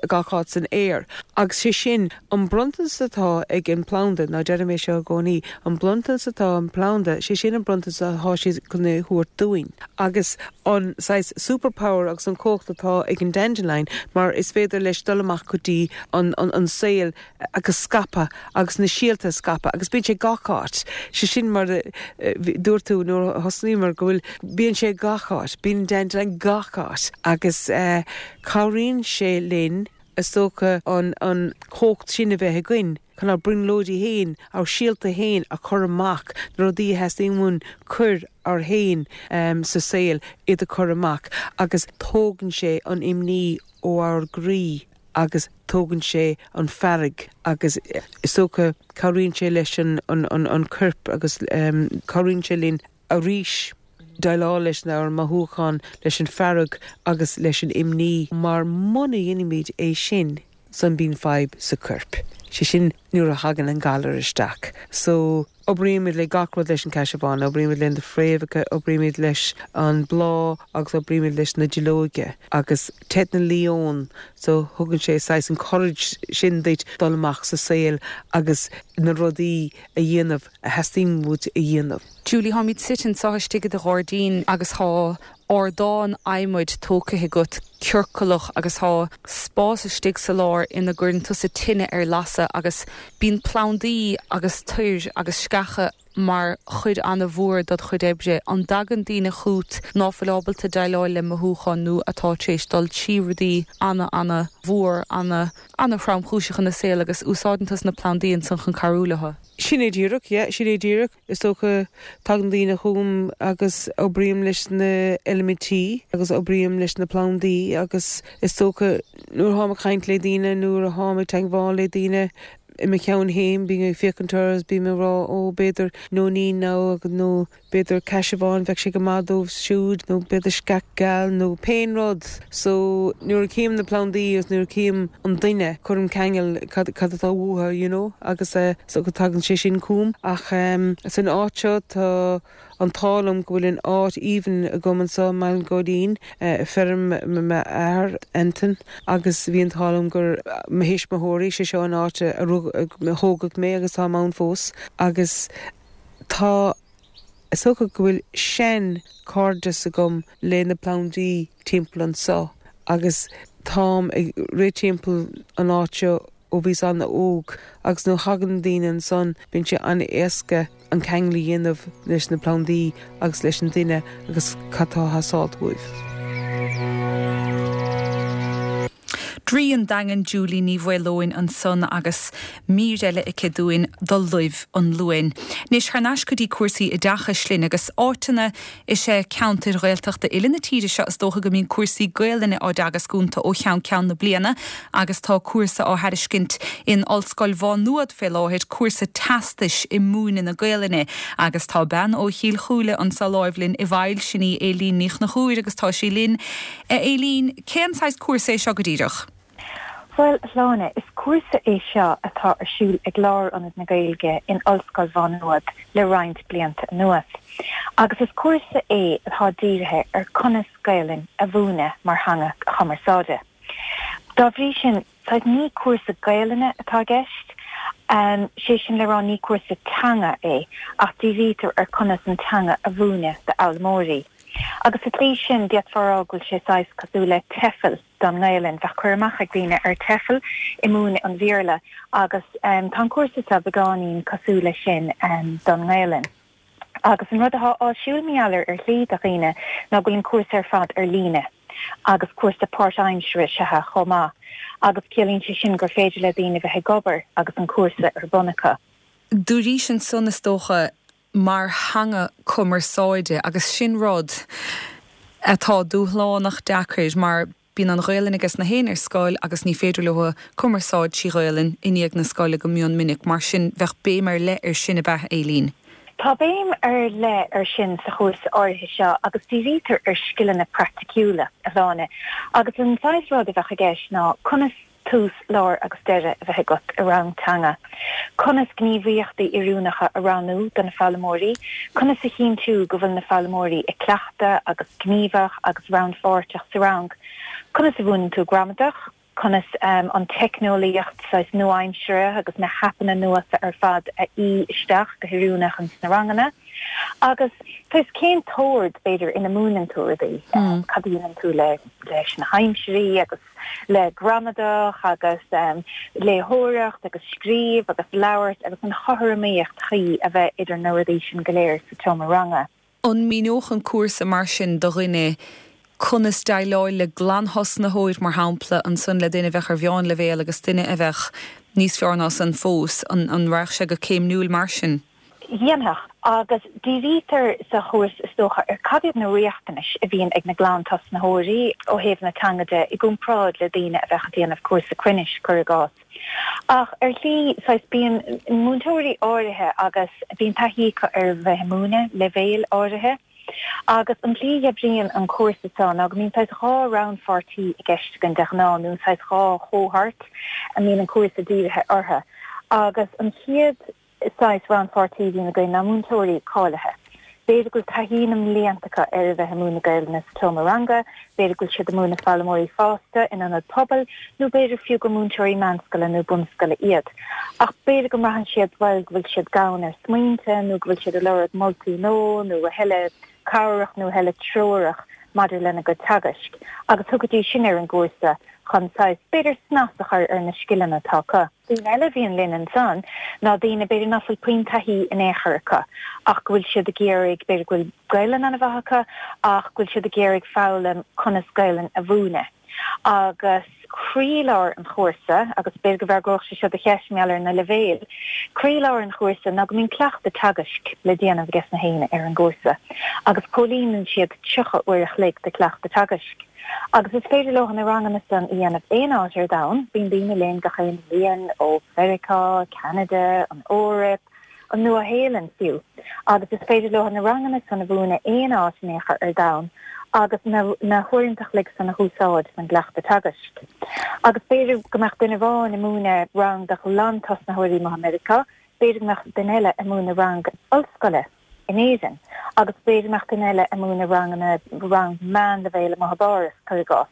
gach áit san aer. Agus sé sin an bronntanas atá ag an planda ná deirim é seo i gcónaí, an bronntanas atá an planda sé sin an bronntanas atá sé chun a thabhairt dúinn. Agus an saghas superpower agus an cumhacht atá ag an dandelion mar is féidir leis dul amach go dtí an, an, an saol agus scaipeadh agus na síolta scaipeadh agus bíonn sé gach áit. sé sin mar dúirt tú nuair thosnaíomar go bhfuil bíonn sé gach áit, bíonn dandelion gach áit agus uh, cabhraíonn sé linn is dócha an an chumhacht sin a bheith againn chun ár brionglóidí féin ár síolta féin a chur amach na rudaí a theastaíonn uainn cur ár féin um, sa saol iad a chur amach agus tógann sé an imní ó ár gcroí agus tógann sé an fearg agus is dócha cabhraíonn sé leis an an an an corp agus um, cabhraíonn sé linn arís déileáil leis ár mothúcháin leis an fearg agus leis an imní mar muna dhéanaimid é sin san bíonn fadhb sa corp. sé sin nuair a thagann an galar isteach. So oibrímid le gach rud leis an cassia bán, oibrímid le na fréamhacha, oibrímid leis an bláth agus oibrímid leis na duilleoga agus teint na leon so thugann sé saghas an courage sin duit dul amach sa saol agus na rudaí a dhéanamh a theastaíonn uait a dhéanamh. Julie táimid suite anseo istigh i do ghairdín agus tá ardán adhmaid tógtha agat ciorclach agus tá spás istigh sa lár ina gcuireann tusa tine ar lasadh agus bíonn plandaí agus toir agus sceacha mar chuid an-mhór dod chuid oibre an dtagann daoine chugat ná fuil ábalta déileáil le mothúcháin nó atá tar éis dul trí rudaí ana ana-mhór ana ana-thromchúiseach ina saol agus úsáideann tusa na plandaí ansan chun cabhrú leo. Sin é díreach, yeah, sin é díreach. Is dócha tagann daoine chugam agus oibrím leis na eilimintí agus oibrím leis na plandaí agus is dócha nuair atáim ag caint le daoine nuair atáim ag teagmháil le daoine i mo cheann féin bím ag féachaint agus bím ag rá ó b'fhéidir nóinín nó nó b'fhéidir cassia bán bheadh sé go maith dóibh siúd nó b'fhéidir sceach geal nó pé rud. So nuair a chím na plandaí agus nuair a chím an duine cuirim ceangal cad cad atá uathu you know agus uh, so go tagann sé sin chugam ach um, san áit seo tá an t-ádh liom go bhfuil an áit aoibhinn agam anseo i mBaile an Ghóilín uh, feirm m'athar Anton agus bhí an t-ádh liom gur mo thuismitheoirí sé seo an áit a thógadh mé agus tá ann fós agus tá is dócha go bhfuil sean cairdeas agam le na plandaí timpeall anseo agus táim ag rith timpeall an áit seo ó bhíos an-óg agus nuair a thagann daoine ansan bíonn sé an-éasca an ceangal a dhéanamh leis na plandaí agus leis an duine agus cad tá ag teastáil uaidh. Draoi an Daingin Julie Ní Mhaoileoin ansan agus mír eile aici dúinn do Luibh an Luain. Anois thar n-ais go dtí cúrsaí oideachais linn agus áiteanna is ea ceantair Ghaeltachta uile na tíre seo is dócha go mbíonn cúrsaí Gaelainne á dteagasc iontu ó cheann ceann na bliana agus tá cúrsa á thairiscint in Ollscoil Mhá Nuad fé láthair cúrsa teastais i múineadh na Gaelainne agus tá bean ó Chill Chúile anseo láimh linn i bhfeighil sin í Éilín Ní Chonchúir agus tá sí linn. Éilín, cén saghas cúrsa é seo go díreach? Bhuel, Shláine, is cúrsa é seo atá ar siúl ag Lárionad na Gaeilge in Ollscoil Mhá Nuad le roinnt blianta anuas. Agus is cúrsa é atá dírithe ar conas Gaelainn a mhúineadh mar theanga chumarsáide. Dá bhrí sin, saghas ní cúrsa Gaelainne atá i gceist, um, sé sin le rá ní cúrsa teanga é, ach dírítear ar conas an teanga a mhúineadh d'fhoghlaimeoirí. Agus sa tslí sin d'fhéadfá a rá go bhfuil sé saghas cosúil le TEFL don nGaelainn, bheadh cur amach ag daoine ar TEFL i múineadh an Bhéarla agus um, tá an cúrsa seo beagáinín cosúil leis sin um, don nGaelainn. Agus an rud atá áisiúil mar ar shlí do dhaoine ná go bhfuil an cúrsa ar fad ar líne agus cúrsa páirtaimseartha is ea chomh maith, agus ciallaíonn sé sin gur féidir le daoine bheith ag obair agus an cúrsa ar bun acu. Dúraís ansan is dócha mar theanga cumarsáide agus sin rud atá dúshlánach deacair mar bíonn an Ghaelainn aige na héin ar scoil agus ní féidir leo cumarsáid trí Ghaelainn i ndiaidh na scoile go mion minic mar sin bheadh béim ar leith ar sin ab ea Éilín. Tá béim ar leith ar sin sa chúrsa áirithe seo agus dírítear ar scileanna praiticiúla a Shláine agus an saghas rud a bheadh i gceist ná conas tús, lár agus deireadh a bheith agat i rang teanga. Conas gníomhaíochtaí oiriúnacha a roghnú do na foghlaimeoirí, conas a chinntiú go bhfuil na foghlaimeoirí ag cleachtadh agus gníomhach agus rannpháirteach sa rang, conas a mhúineann tú gramadach, conas an teicneolaíocht saghas nua-aimseartha agus na haipeanna nua ar fad a fhí isteach go hoiriúnach ins na ranganna. Agus saghas cén t-ord b'fhéidir ina múineann tú rudaí, cad a dhéanann tú le leis na haimsirí agus le gramadach agus léitheoireacht agus scríobh agus labhairt agus an chothromaíocht chuí a bheith idir na rudaí sin go léir sa tseomra ranga. An míneodh an cúrsa mar sin do dhuine conas déileáil le glanthosnaitheoir mar shampla, ansan le duine a bheadh ar mheánleibhéal agus duine a bheadh níos fearr ná san fós, an an raghadh sé go céimniúil mar sin? Dhéanfadh, Agus dírítear sa chúrsa is dócha ar cad iad na riachtanais a bhíonn ag na glantosnaitheoirí ó thaobh na teanga de i gcomparáid le daoine a bheadh ag déanamh cúrsa cruinnis, cuir i gcás. Ach ar shlí saghas bíonn múinteoirí áirithe agus bíonn taithí acu ar bheith ag múineadh leibhéil áirithe. Agus an tslí a oibríonn an cúrsa seo ná go mbíonn saghas dhá rannpháirtí i gceist againn de ghnáth nó saghas dhá chohort a mbíonn an cúrsa dírithe orthu. Agus an chéad saghas rannpháirtí a bhíonn againn ná múinteoirí cáilithe. B'fhéidir go bhfuil taithí na mblianta acu ar a bheith ag múineadh Gaelainne sa tseomra ranga, b'fhéidir go bhfuil siad ag múineadh foghlaimeoirí fásta in ionad pobail, nó b'fhéidir fiú gur múinteoirí meánscoile nó bunscoile iad. Ach b'fhéidir go mbraitheann siad, bhuel, go bhfuil siad gann ar smaointe nó go bhfuil siad ag lorg moltaí nua nó a thuilleadh cabhrach nó a thuilleadh treorach maidir lena gcuid teagaisc. Agus thiocfaidís sin ar an gcúrsa chun saghas, b'fhéidir, snas a chur ar na scileanna atá acu. Daoine eile a bhíonn linn ansan ná daoine, b'fhéidir, nach bhfuil puinn taithí in aon chor acu ach go bhfuil siad ag iarraidh, b'fhéidir go bhfuil Gaelainn an-mhaith acu ach go bhfuil siad ag iarraidh foghlaim conas Gaelainn a mhúineadh. Agus croílár an chúrsa, agus b'fhéidir go bhfreagródh sé seo do cheist mar gheall ar na leibhéil, croílár an chúrsa ná go mbíonn cleachtadh teagaisc le déanamh ages na héinne ar an gcúrsa agus comhlíonann siad tríocha uair a chloig de chleachtadh teagaisc. Agus is féidir leo na ranganna san a dhéanamh aon áit ar domhan, bíonn daoine linn gach aon bhliain ó Mheiriceá, Ceanada, an Eoraip, an Nua-Shéalainn fiú, agus is féidir leo na ranganna san a mhúineadh aon áit in aon chor ar domhan agus na na huaireanta a chloig san a húsáid don gcleachtadh teagaisc. Agus b'fhéidir go mbeadh duine amháin ag múineadh rang do ghlantosnaitheoirí amuigh i Meiriceá, b'fhéidir go mbeadh duine eile ag múineadh rang ollscoile in Éirinn agus b'fhéidir go mbeadh duine eile ag múineadh ranganna rang meánleibhéil amuigh i bPáras, cuir i gcás.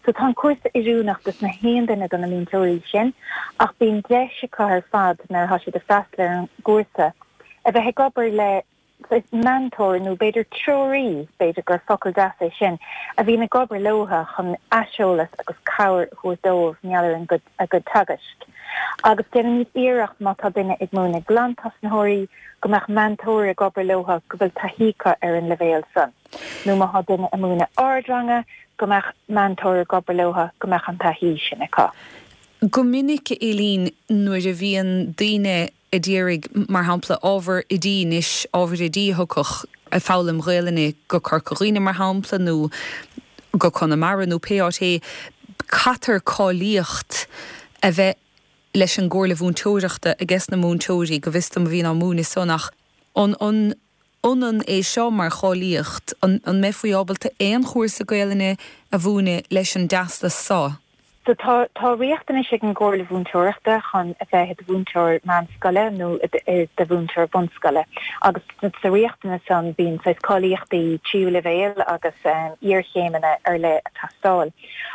So tá an cúrsa oiriúnach dos na haon duine de na múinteoirí sin ach bíonn deis acu ar fad nuair atá siad ag freastal ar an gcúrsa a bheith ag obair le saghas meantóir nó b'fhéidir treoraí, b'fhéidir gur focal deas é sin, a bhíonn ag obair leo chun aiseolas agus cabhair a thabhairt dóibh mar gheall ar an gcuid, a gcuid teagaisc. Agus déanaimid iarracht má tá duine ag múineadh glantosnaitheoirí go mbeadh meantóir ag obair leo go bhfuil taithí acu ar an leibhéal san. Nó má tá duine ag múineadh ardranga go mbeadh meantóir ag obair leo go mbeadh an taithí sin acu. Go minic, a Éilín, nuair a bhíonn daoine a d'iarraidh, mar shampla, ábhar oidí anois, ábhar oidí a thiocfadh ag foghlaim Ghaelainne go Corca Dhuibhne, mar shampla, nó go Conamara nó pé áit é, caithfear cáilíocht a bheith leis an gComhairle Mhúinteoireachta ages na múinteoirí, go bhfios dom, a bhíonn á múineadh san. Ach an an ionann é seo mar cháilíocht? An an mbeifí ábalta aon chúrsa Gaelainne a mhúineadh leis an dteastas so? So tá tá riachtanais ag an gComhairle Mhúinteoireachta chun a bheith i do mhúinteoir meánscoile nó i do mhúinteoir bunscoile agus sa riachtanas san bíonn saghas cáilíochtaí tríú leibhéal agus iarchéimeanna ar leith ag teastáil.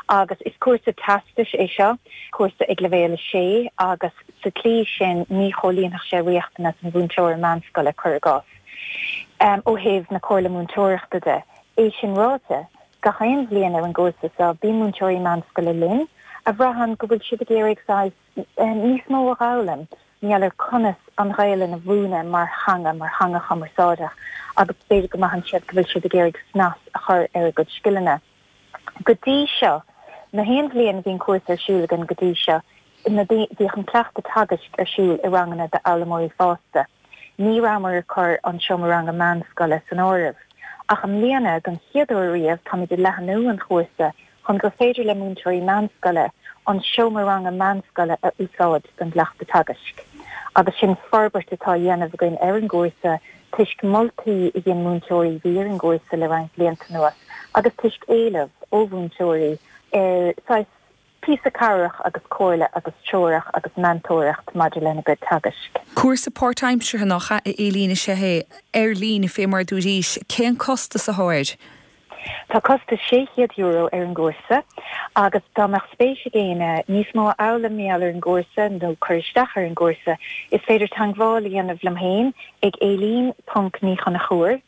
Agus is cúrsa teastais é seo, cúrsa ag leibhéal a sé agus sa tslí sin ní chomhlíonfadh sé riachtanas an mhúinteora meánscoile, cuir i gcás, ó thaobh na Comhairle Múinteoireachta de. É sin ráite, Gach aon bhliain ar an gcúrsa seo, bíonn múinteoirí meánscoile linn a bhraitheann go bhfuil siad ag iarraidh saghas níos mó a dh'fhoghlaim mar gheall ar conas an Ghaelainn a mhúineadh mar theanga, mar theanga chumarsáideach agus b'fhéidir go mbraitheann siad go bhfuil siad ag iarraidh snas a chur ar a gcuid scileanna. Go dtí seo, na haon bhliain a bhí an cúrsa ar siúl againn go dtí seo, na bhíodh an cleachtadh teagaisc ar siúl i ranganna d'fhoghlaimeoirí fásta. Ní rabhamar ag cur an seomra ranga meánscoile san áireamh. Ach i mbliana, don chéad uair riamh, táimid ag leathanú an chúrsa chun gur féidir le múinteoirí meánscoile an seomra ranga meánscoile a úsáid don gcleachtadh teagaisc. Agus sin forbairt atá á dhéanamh againn ar an gcúrsa toisc moltaí a dhein múinteoirí a bhí ar an gcúrsa le roinnt blianta anuas agus toisc éileamh ó mhúinteoirí ar saghas píosa cabhrach agus comhairle agus treorach agus meantóireacht maidir lena gcuid teagaisc. Cúrsa páirtaimseartha nach ea, a Éilín, is ea é, ar líne fé mar a dúraís. Cén costas athá air? Tá costas sé chéad euro ar an gcúrsa agus dá mbeadh spéis ag éinne níos mó a fhoghlaim mar gheall ar an gcúrsa nó cur isteach ar an gcúrsa, is féidir teangmháil a dhéanamh liom féin ag Éilín ponc Ní Chonchúir,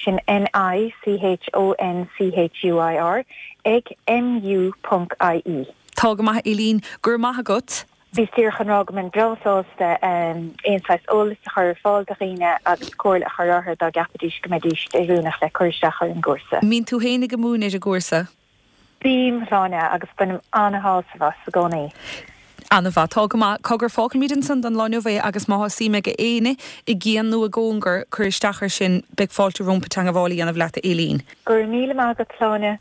Sin N I C H O N C H U I R ag M U ponc I E. Tá go maith, Eileen. Go raibh maith agat. Bhíos díreach chun rá go mbeinn breá sásta aon saghas eolas a chur ar fáil do dhaoine agus comhairle a chur orthu dá gceapfaidís go mbeidís oiriúnach le cur isteach ar an gcúrsa. Mbíonn tú féin ag múineadh ar an gcúrsa? Bím, Shláine, agus bainim an-shásamh as i gcónaí. An-mhaith. Tá go maith. Cogar, fágfaimid ansan don lá inniu é agus má tá suim ag éinne i gcian nó i gcóngar cur isteach air sin, beidh fáilte rompu teagmháil a dhéanamh leat, a Aileen. Go raibh míle maith agat, Sláine.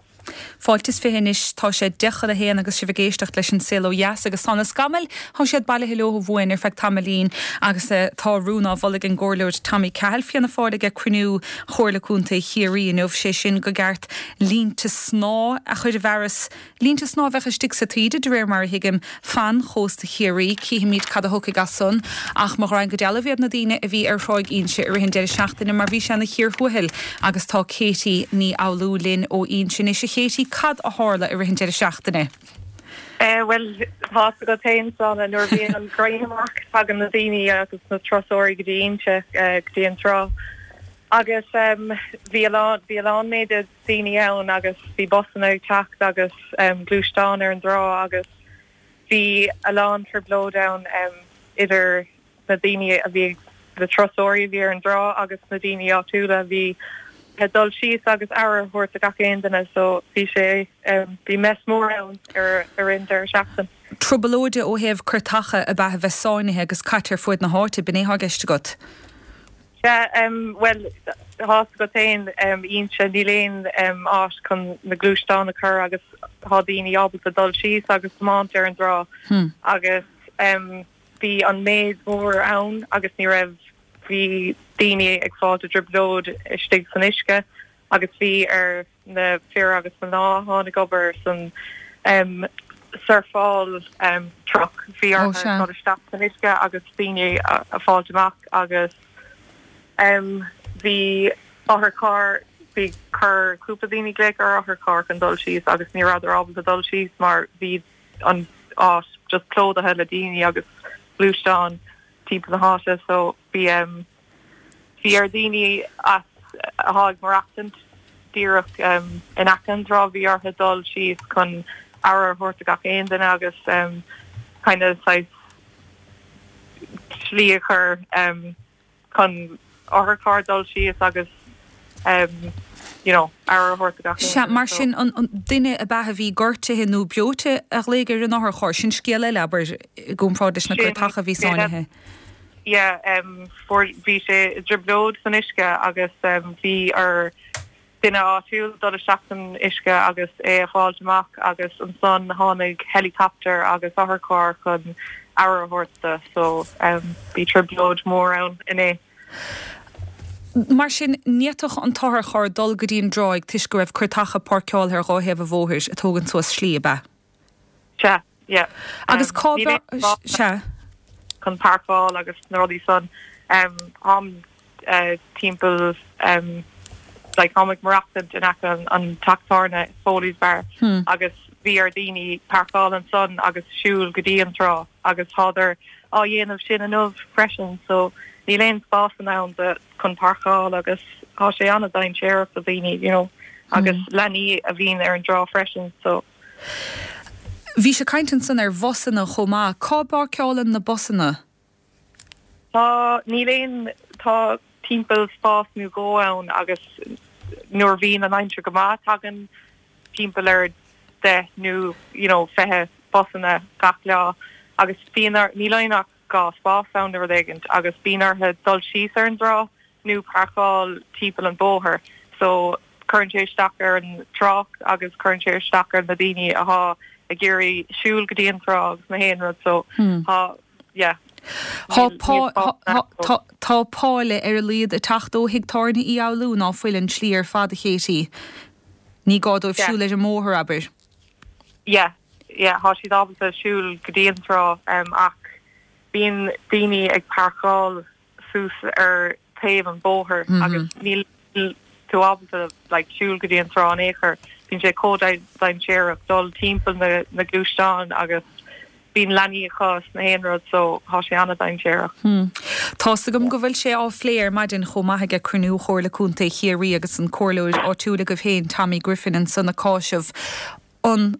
Fáilte is fiche anois, tá sé deich chun a haon agus sibh ag éisteacht leis an Saol Ó Dheas agus tá na scamaill, tá siad bailithe leo uainn ar feadh tamaillín agus tá rún á mholadh ag an gComhairleoir Tommy Cahill, Fianna Fáil ag cruinniú Chomhairle Contae Chiarraí inniu, sé sin go gceart línte snámha a chur i bhfearas. Línte snámha a bheadh istigh sa taoide, de réir mar a thuigim, fan chósta Chiarraí. Cífimid cad a thiocfaidh as san. Ach mo ghraidhin go dealbh iad na daoine a bhí ar Thráigh Inse i rith an deireadh seachtaine mar bhí sé ina chíor thuathail agus tá Katie Ní Fhoghlú linn ó Inse anois. A Katie, cad a tharla i rith an deireadh seachtaine? Bhuel, tá fhios agat féin, Sláine, nuair a bhíonn an ghrian amach tagann na daoine agus na turasóirí go dtí Inse, go dtí an trá. Agus bhí a lán, bhí a lán méid daoine ann agus bhí busanna ag teacht agus gluaisteáin ar an dtrá agus bhí a lán trioblóid ann idir na daoine a bhí, na turasóirí a bhí ar an dtrá agus na daoine áitiúla a bhí ag dul síos agus aire a thabhairt do gach aon duine so bhí sé, bhí mess mór ann ar ar an deireadh seachtaine. Trioblóide ó thaobh cúirteacha ab ea a bheith sáinnithe agus caite ar fuaid na háite, b'in é atá i gceist agat? Sea, bhuel, tá fhios agat féin, Inse, níl aon áit chun na gluaisteáin a chur agus tá daoine ábalta dul síos agus tiomáint ar an dtrá agus bhí an méid mór ann agus ní raibh, bhí daoine ag fáilt i dtrioblóid istigh san uisce agus bhí ar na fir agus mná atá ag obair san surfáil truck, bhí orthu dul isteach san uisce agus daoine a fáilt amach agus bhí otharcharr, bhí chuir cúpla daoine glaoch ar otharcharr chun dul síos agus ní rabhadar ábalta dul síos mar bhí an áit just plódaithe le daoine agus gluaisteáin timpeall na háite so bhí bhí ar daoine as atá ag maireachtaint díreach in aice an trá bhí orthu dul síos chun aire a thabhairt do gach aon duine agus kind of saghas slí a chur chun otharcharr dul síos agus you know aire a thabhairt do gach aon Sea, mar sin an duine ab ea a bhí gortaithe nó breoite a ghlaoigh ar an otharcharr, sin scéal eile, abair, i gcomparáid leis na cairteacha a bhí sáinnithe. Yeah, um, fuair, bhí sé i dtrioblóid san uisce agus um, bhí ar duine áitiúil dul isteach san uisce agus é a fháilt amach agus ansan tháinig helicopter agus otharcharr chun aire a thabhairt do, so um, bhí trioblóid mór ann inné. Mar sin, ní fhéadfadh an t-otharcharr dul go dtí an dtráigh toisc go raibh cairteacha páirceáilte ar dhá thaobh an bhóthair ag tógaint suas slí, ab ea? Sea, yeah. Agus cá Níl aon spás Sea. chun páirceáil agus na rudaí san. Um, táim uh, timpeall um, like, táim ag maireachtaint in aice an, an teach tábhairne Foley's Bar Hmm. agus bhí ar daoine páirceáil ansan agus siúl go dtí an trá agus tádar á dhéanamh sin inniu freisin so níl aon spás ann de chun páirceáil agus tá sé an-dainséarach do daoine you know, agus Hmm. leanaí a bhíonn ar an dtrá freisin so Bhí sé caint ansan ar bhusanna chomh maith. Cá bpáirceálann na busanna? Tá níl aon tá timpeall spás nó dhó ann agus nuair a bhíonn an aimsir go maith tagann timpeall ar deich nó you know fiche busanna gach lá agus bíonn ar níl aon ach dhá spás ann nó rud éigint agus bíonn orthu dul síos ar an dtrá nó páirceáil timpeall an bóthar so cuireann sé isteach ar an trácht agus cuireann sé isteach ar na daoine atá ag iarraidh siúl go dtí an trá agus na haon rud so tá yeah Tá pá tá páile ar a laghad ag teacht ó thigh tábhairne Uí Fhoghlú ná fuil an tslí ar fad a Katie. Ní gá dóibh siúl ar an mbóthar, abair. Yeah, yeah, tá siad ábalta siúl go dtí an trá um, ach bíonn daoine ag páirceáil suas ar taobh an bóthar mm -hmm. agus níl tú ábalta like, siúl go dtí an trá in aon chor. Bíonn sé chomh dainséarach dul timpeall na, na gluaisteáin agus bíonn leanaí acu na haon rud so tá sé an-dainséarach. Hmm. Tá's agam go bhfuil sé á phlé ar maidin chomh maith ag cruinniú Chomhairle Contae Chiarraí agus an comhairleoir áitiúil agaibh féin Tommy Griffin ansan ag cáiseamh an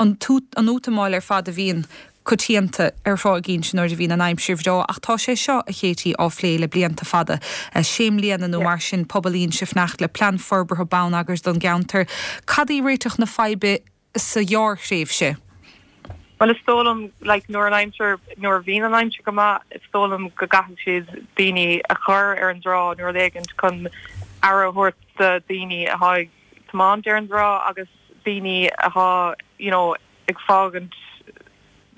an an útamáil ar fad a bhíonn coitianta ar Thráigh Inse nuair a bhíonn an aimsir bhreá ach tá sé seo a Katie á phlé le blianta fada. Sé mbliana nó mar sin pobal Inse ag fanacht le plean forbartha bonneagair don gceantar. Cad í réiteach na faidhbe sa ghearrthréimhse? Well is dóigh liom like nuair an aimsir nuair a bhíonn an aimsir go maith is dóigh liom go gcaithfidh siad daoine a chur ar an dtrá nó rud éigint chun aire a thabhairt do daoine atá ag tiomáint ar an dtrá agus daoine atá you know ag fágaint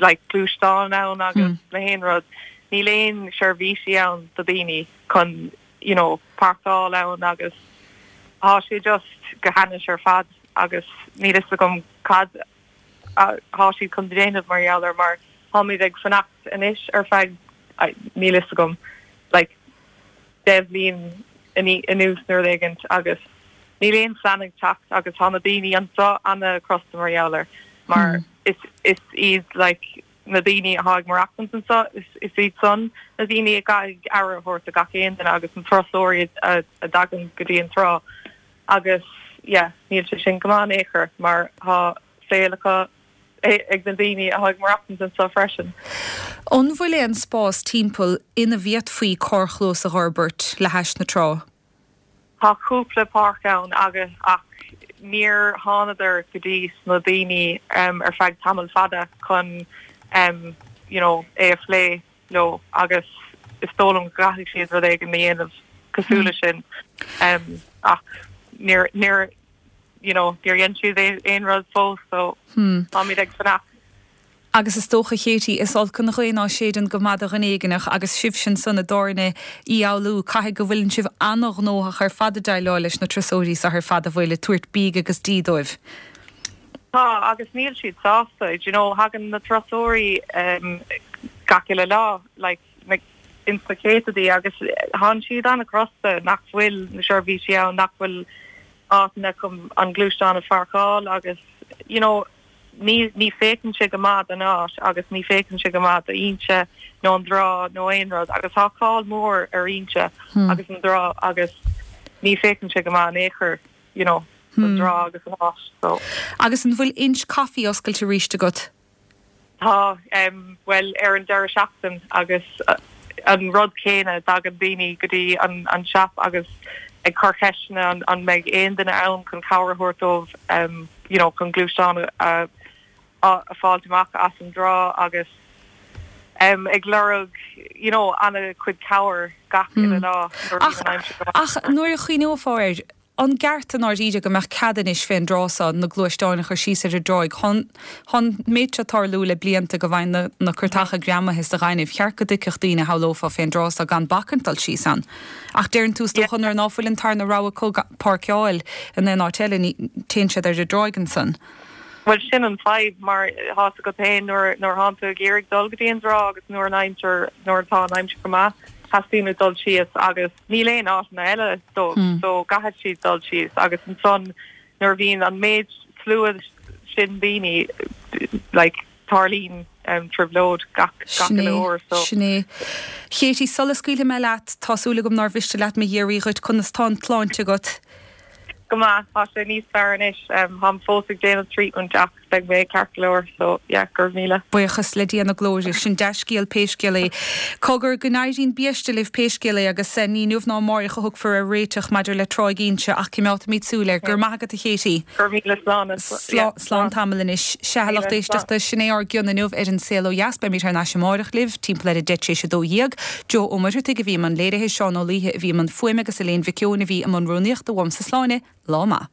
like gluaisteán ann agus na haon rud. Níl aon seirbhísí ann do daoine chun you know páirceáil ann agus tá sé just go hainnis ar fad agus níl fhios agam cad tá siad chun déanamh mar gheall air mar táimid ag fanacht anois ar feadh níl fhios agam like deich mbliain anuas nó rud éigint agus níl aon phlean ag teacht agus tá na daoine anseo an-chrosta mar gheall air mar is is iad like na daoine atá ag maireachtaint anseo is is iad san na daoine a gcaithfidh aire a thabhairt do gach aon duine agus na turasóirí a a dtagann go dtí an trá agus yeah níl sé sin go maith in aon chor mar tá saol acu ag na daoine atá ag maireachtaint anseo freisin. An bhfuil aon spás timpeall ina bhféadfaí carrchlós a fhorbairt le hais na trá? Tá cúpla páirc ann agus ach níor thánadar go dtí na daoine um, ar feadh tamall fada chun um, you know, é a phlé leo agus is dóigh liom go gcaithfidh siad rud éigin a dhéanamh cosúil leis sin um, ach níor níor you know, níor dhein siad aon rud fós so Hmm. táimid ag fanacht. Agus is dócha Katie is olc an ghaoth ná séideann go maith do dhuine éigineach agus sibhse ansan i dtábhairne Uí Fhoghlú caithfidh go bhfuileann sibh an-ghnóthach ar fad ag déileáil leis na turasóirí seo ar fad a bhfuil ag tabhairt bídh agus dí dóibh. Tá agus níl siad sásta, you know, thagann na turasóirí um, gach uile lá like na in sna céadtaí agus tá siad an-chrosta nach bhfuil na seirbhísí ann nach bhfuil áiteanna chun an gluaisteán a pháirceáil agus you know, ní ní féachann sé go maith don áit agus ní féachann sé go maith d'Inse nó an trá nó aon rud agus tá cáil mór ar Inse Hmm. agus an trá agus ní féachann sé go maith in aon chor you know, an Hmm. trá agus an áit so. Agus an bhfuil Inch Coffee oscailte arís agat? Tá um, well ar an deireadh seachtain agus uh, an rud céanna tagann daoine go dtí an, an shop agus ag cur ceisteanna an, an mbeidh aon duine ann chun cabhair a thabhairt dóibh um, you know, chun gluaisteán a, a, a fháil amach as an dtrá agus um, ag lorg you know, an-chuid cabhair gach uile lá nuair a Ach, bhíonn an aimsir go maith. ach nuair a chuimhneofá air an gceart an áiríde go mbeadh cead anois fén dtrá seo na gluaisteáin a chur síos ar an dtráigh Tá an méid seo ag tarlú le blianta go bhfaigheann na, na curtacha greamaithe sa ghaineamh cheart go dtuigfeadh daoine shamhlófá fén dtrá seo gan bacaint dul síos ann. Ach deireann tú is dócha nuair ná fuil an tarna rogha acu páirceáil in aon áit eile ní téann siad ar an dtráigh ansan. Well sin an fadhb mar tá go féin nuair nuair atá tú ag iarraidh dul go dtí an trá agus nuair an aimsir nuair atá an aimsir go maith teastaíonn uait dul síos agus níl aon áiteanna eile dó Hmm. so caithfidh siad dul síos agus ansan nuair bhíonn an méid slua sin daoine like tarlaíonn um, trioblóid gach gach uile uair so Sin é. Katie sula scaoilfidh mé leat tá súil agam nár mhiste leat mo iarraidh dhuit conas tá an tsláinte agat. go maith tá sé níos fearr anois um, táim fós ag déanamh treatment ach beidh mé ceart go leor so yeah go raibh míle. Buíochas le Dia na glóire sin dea-scéal pé scéal é. Cogar go n-éiríonn biaiste libh pé scéal é agus eh, ní inniu ná amárach a thiocfar ar réiteach maidir le Tráigh Inse ach coimeádfaimid súil air gur maith agat a Katie. Gur míle slán Slán tamall anois sea lucht éisteachta sin é ár gcion inniu ar an Saol Ó Dheas beimid thar n-ais amárach libh timpeall ar a deich théis a dó dhéag, Jo Ó Muircheartaigh a bhí i mbun léirithe Seán Ó Laoithe a bhí i mbun fuaime agus Elaine Mhic Eoin a bhí i mbun rúnaíochta uaimse Sláine lá maith.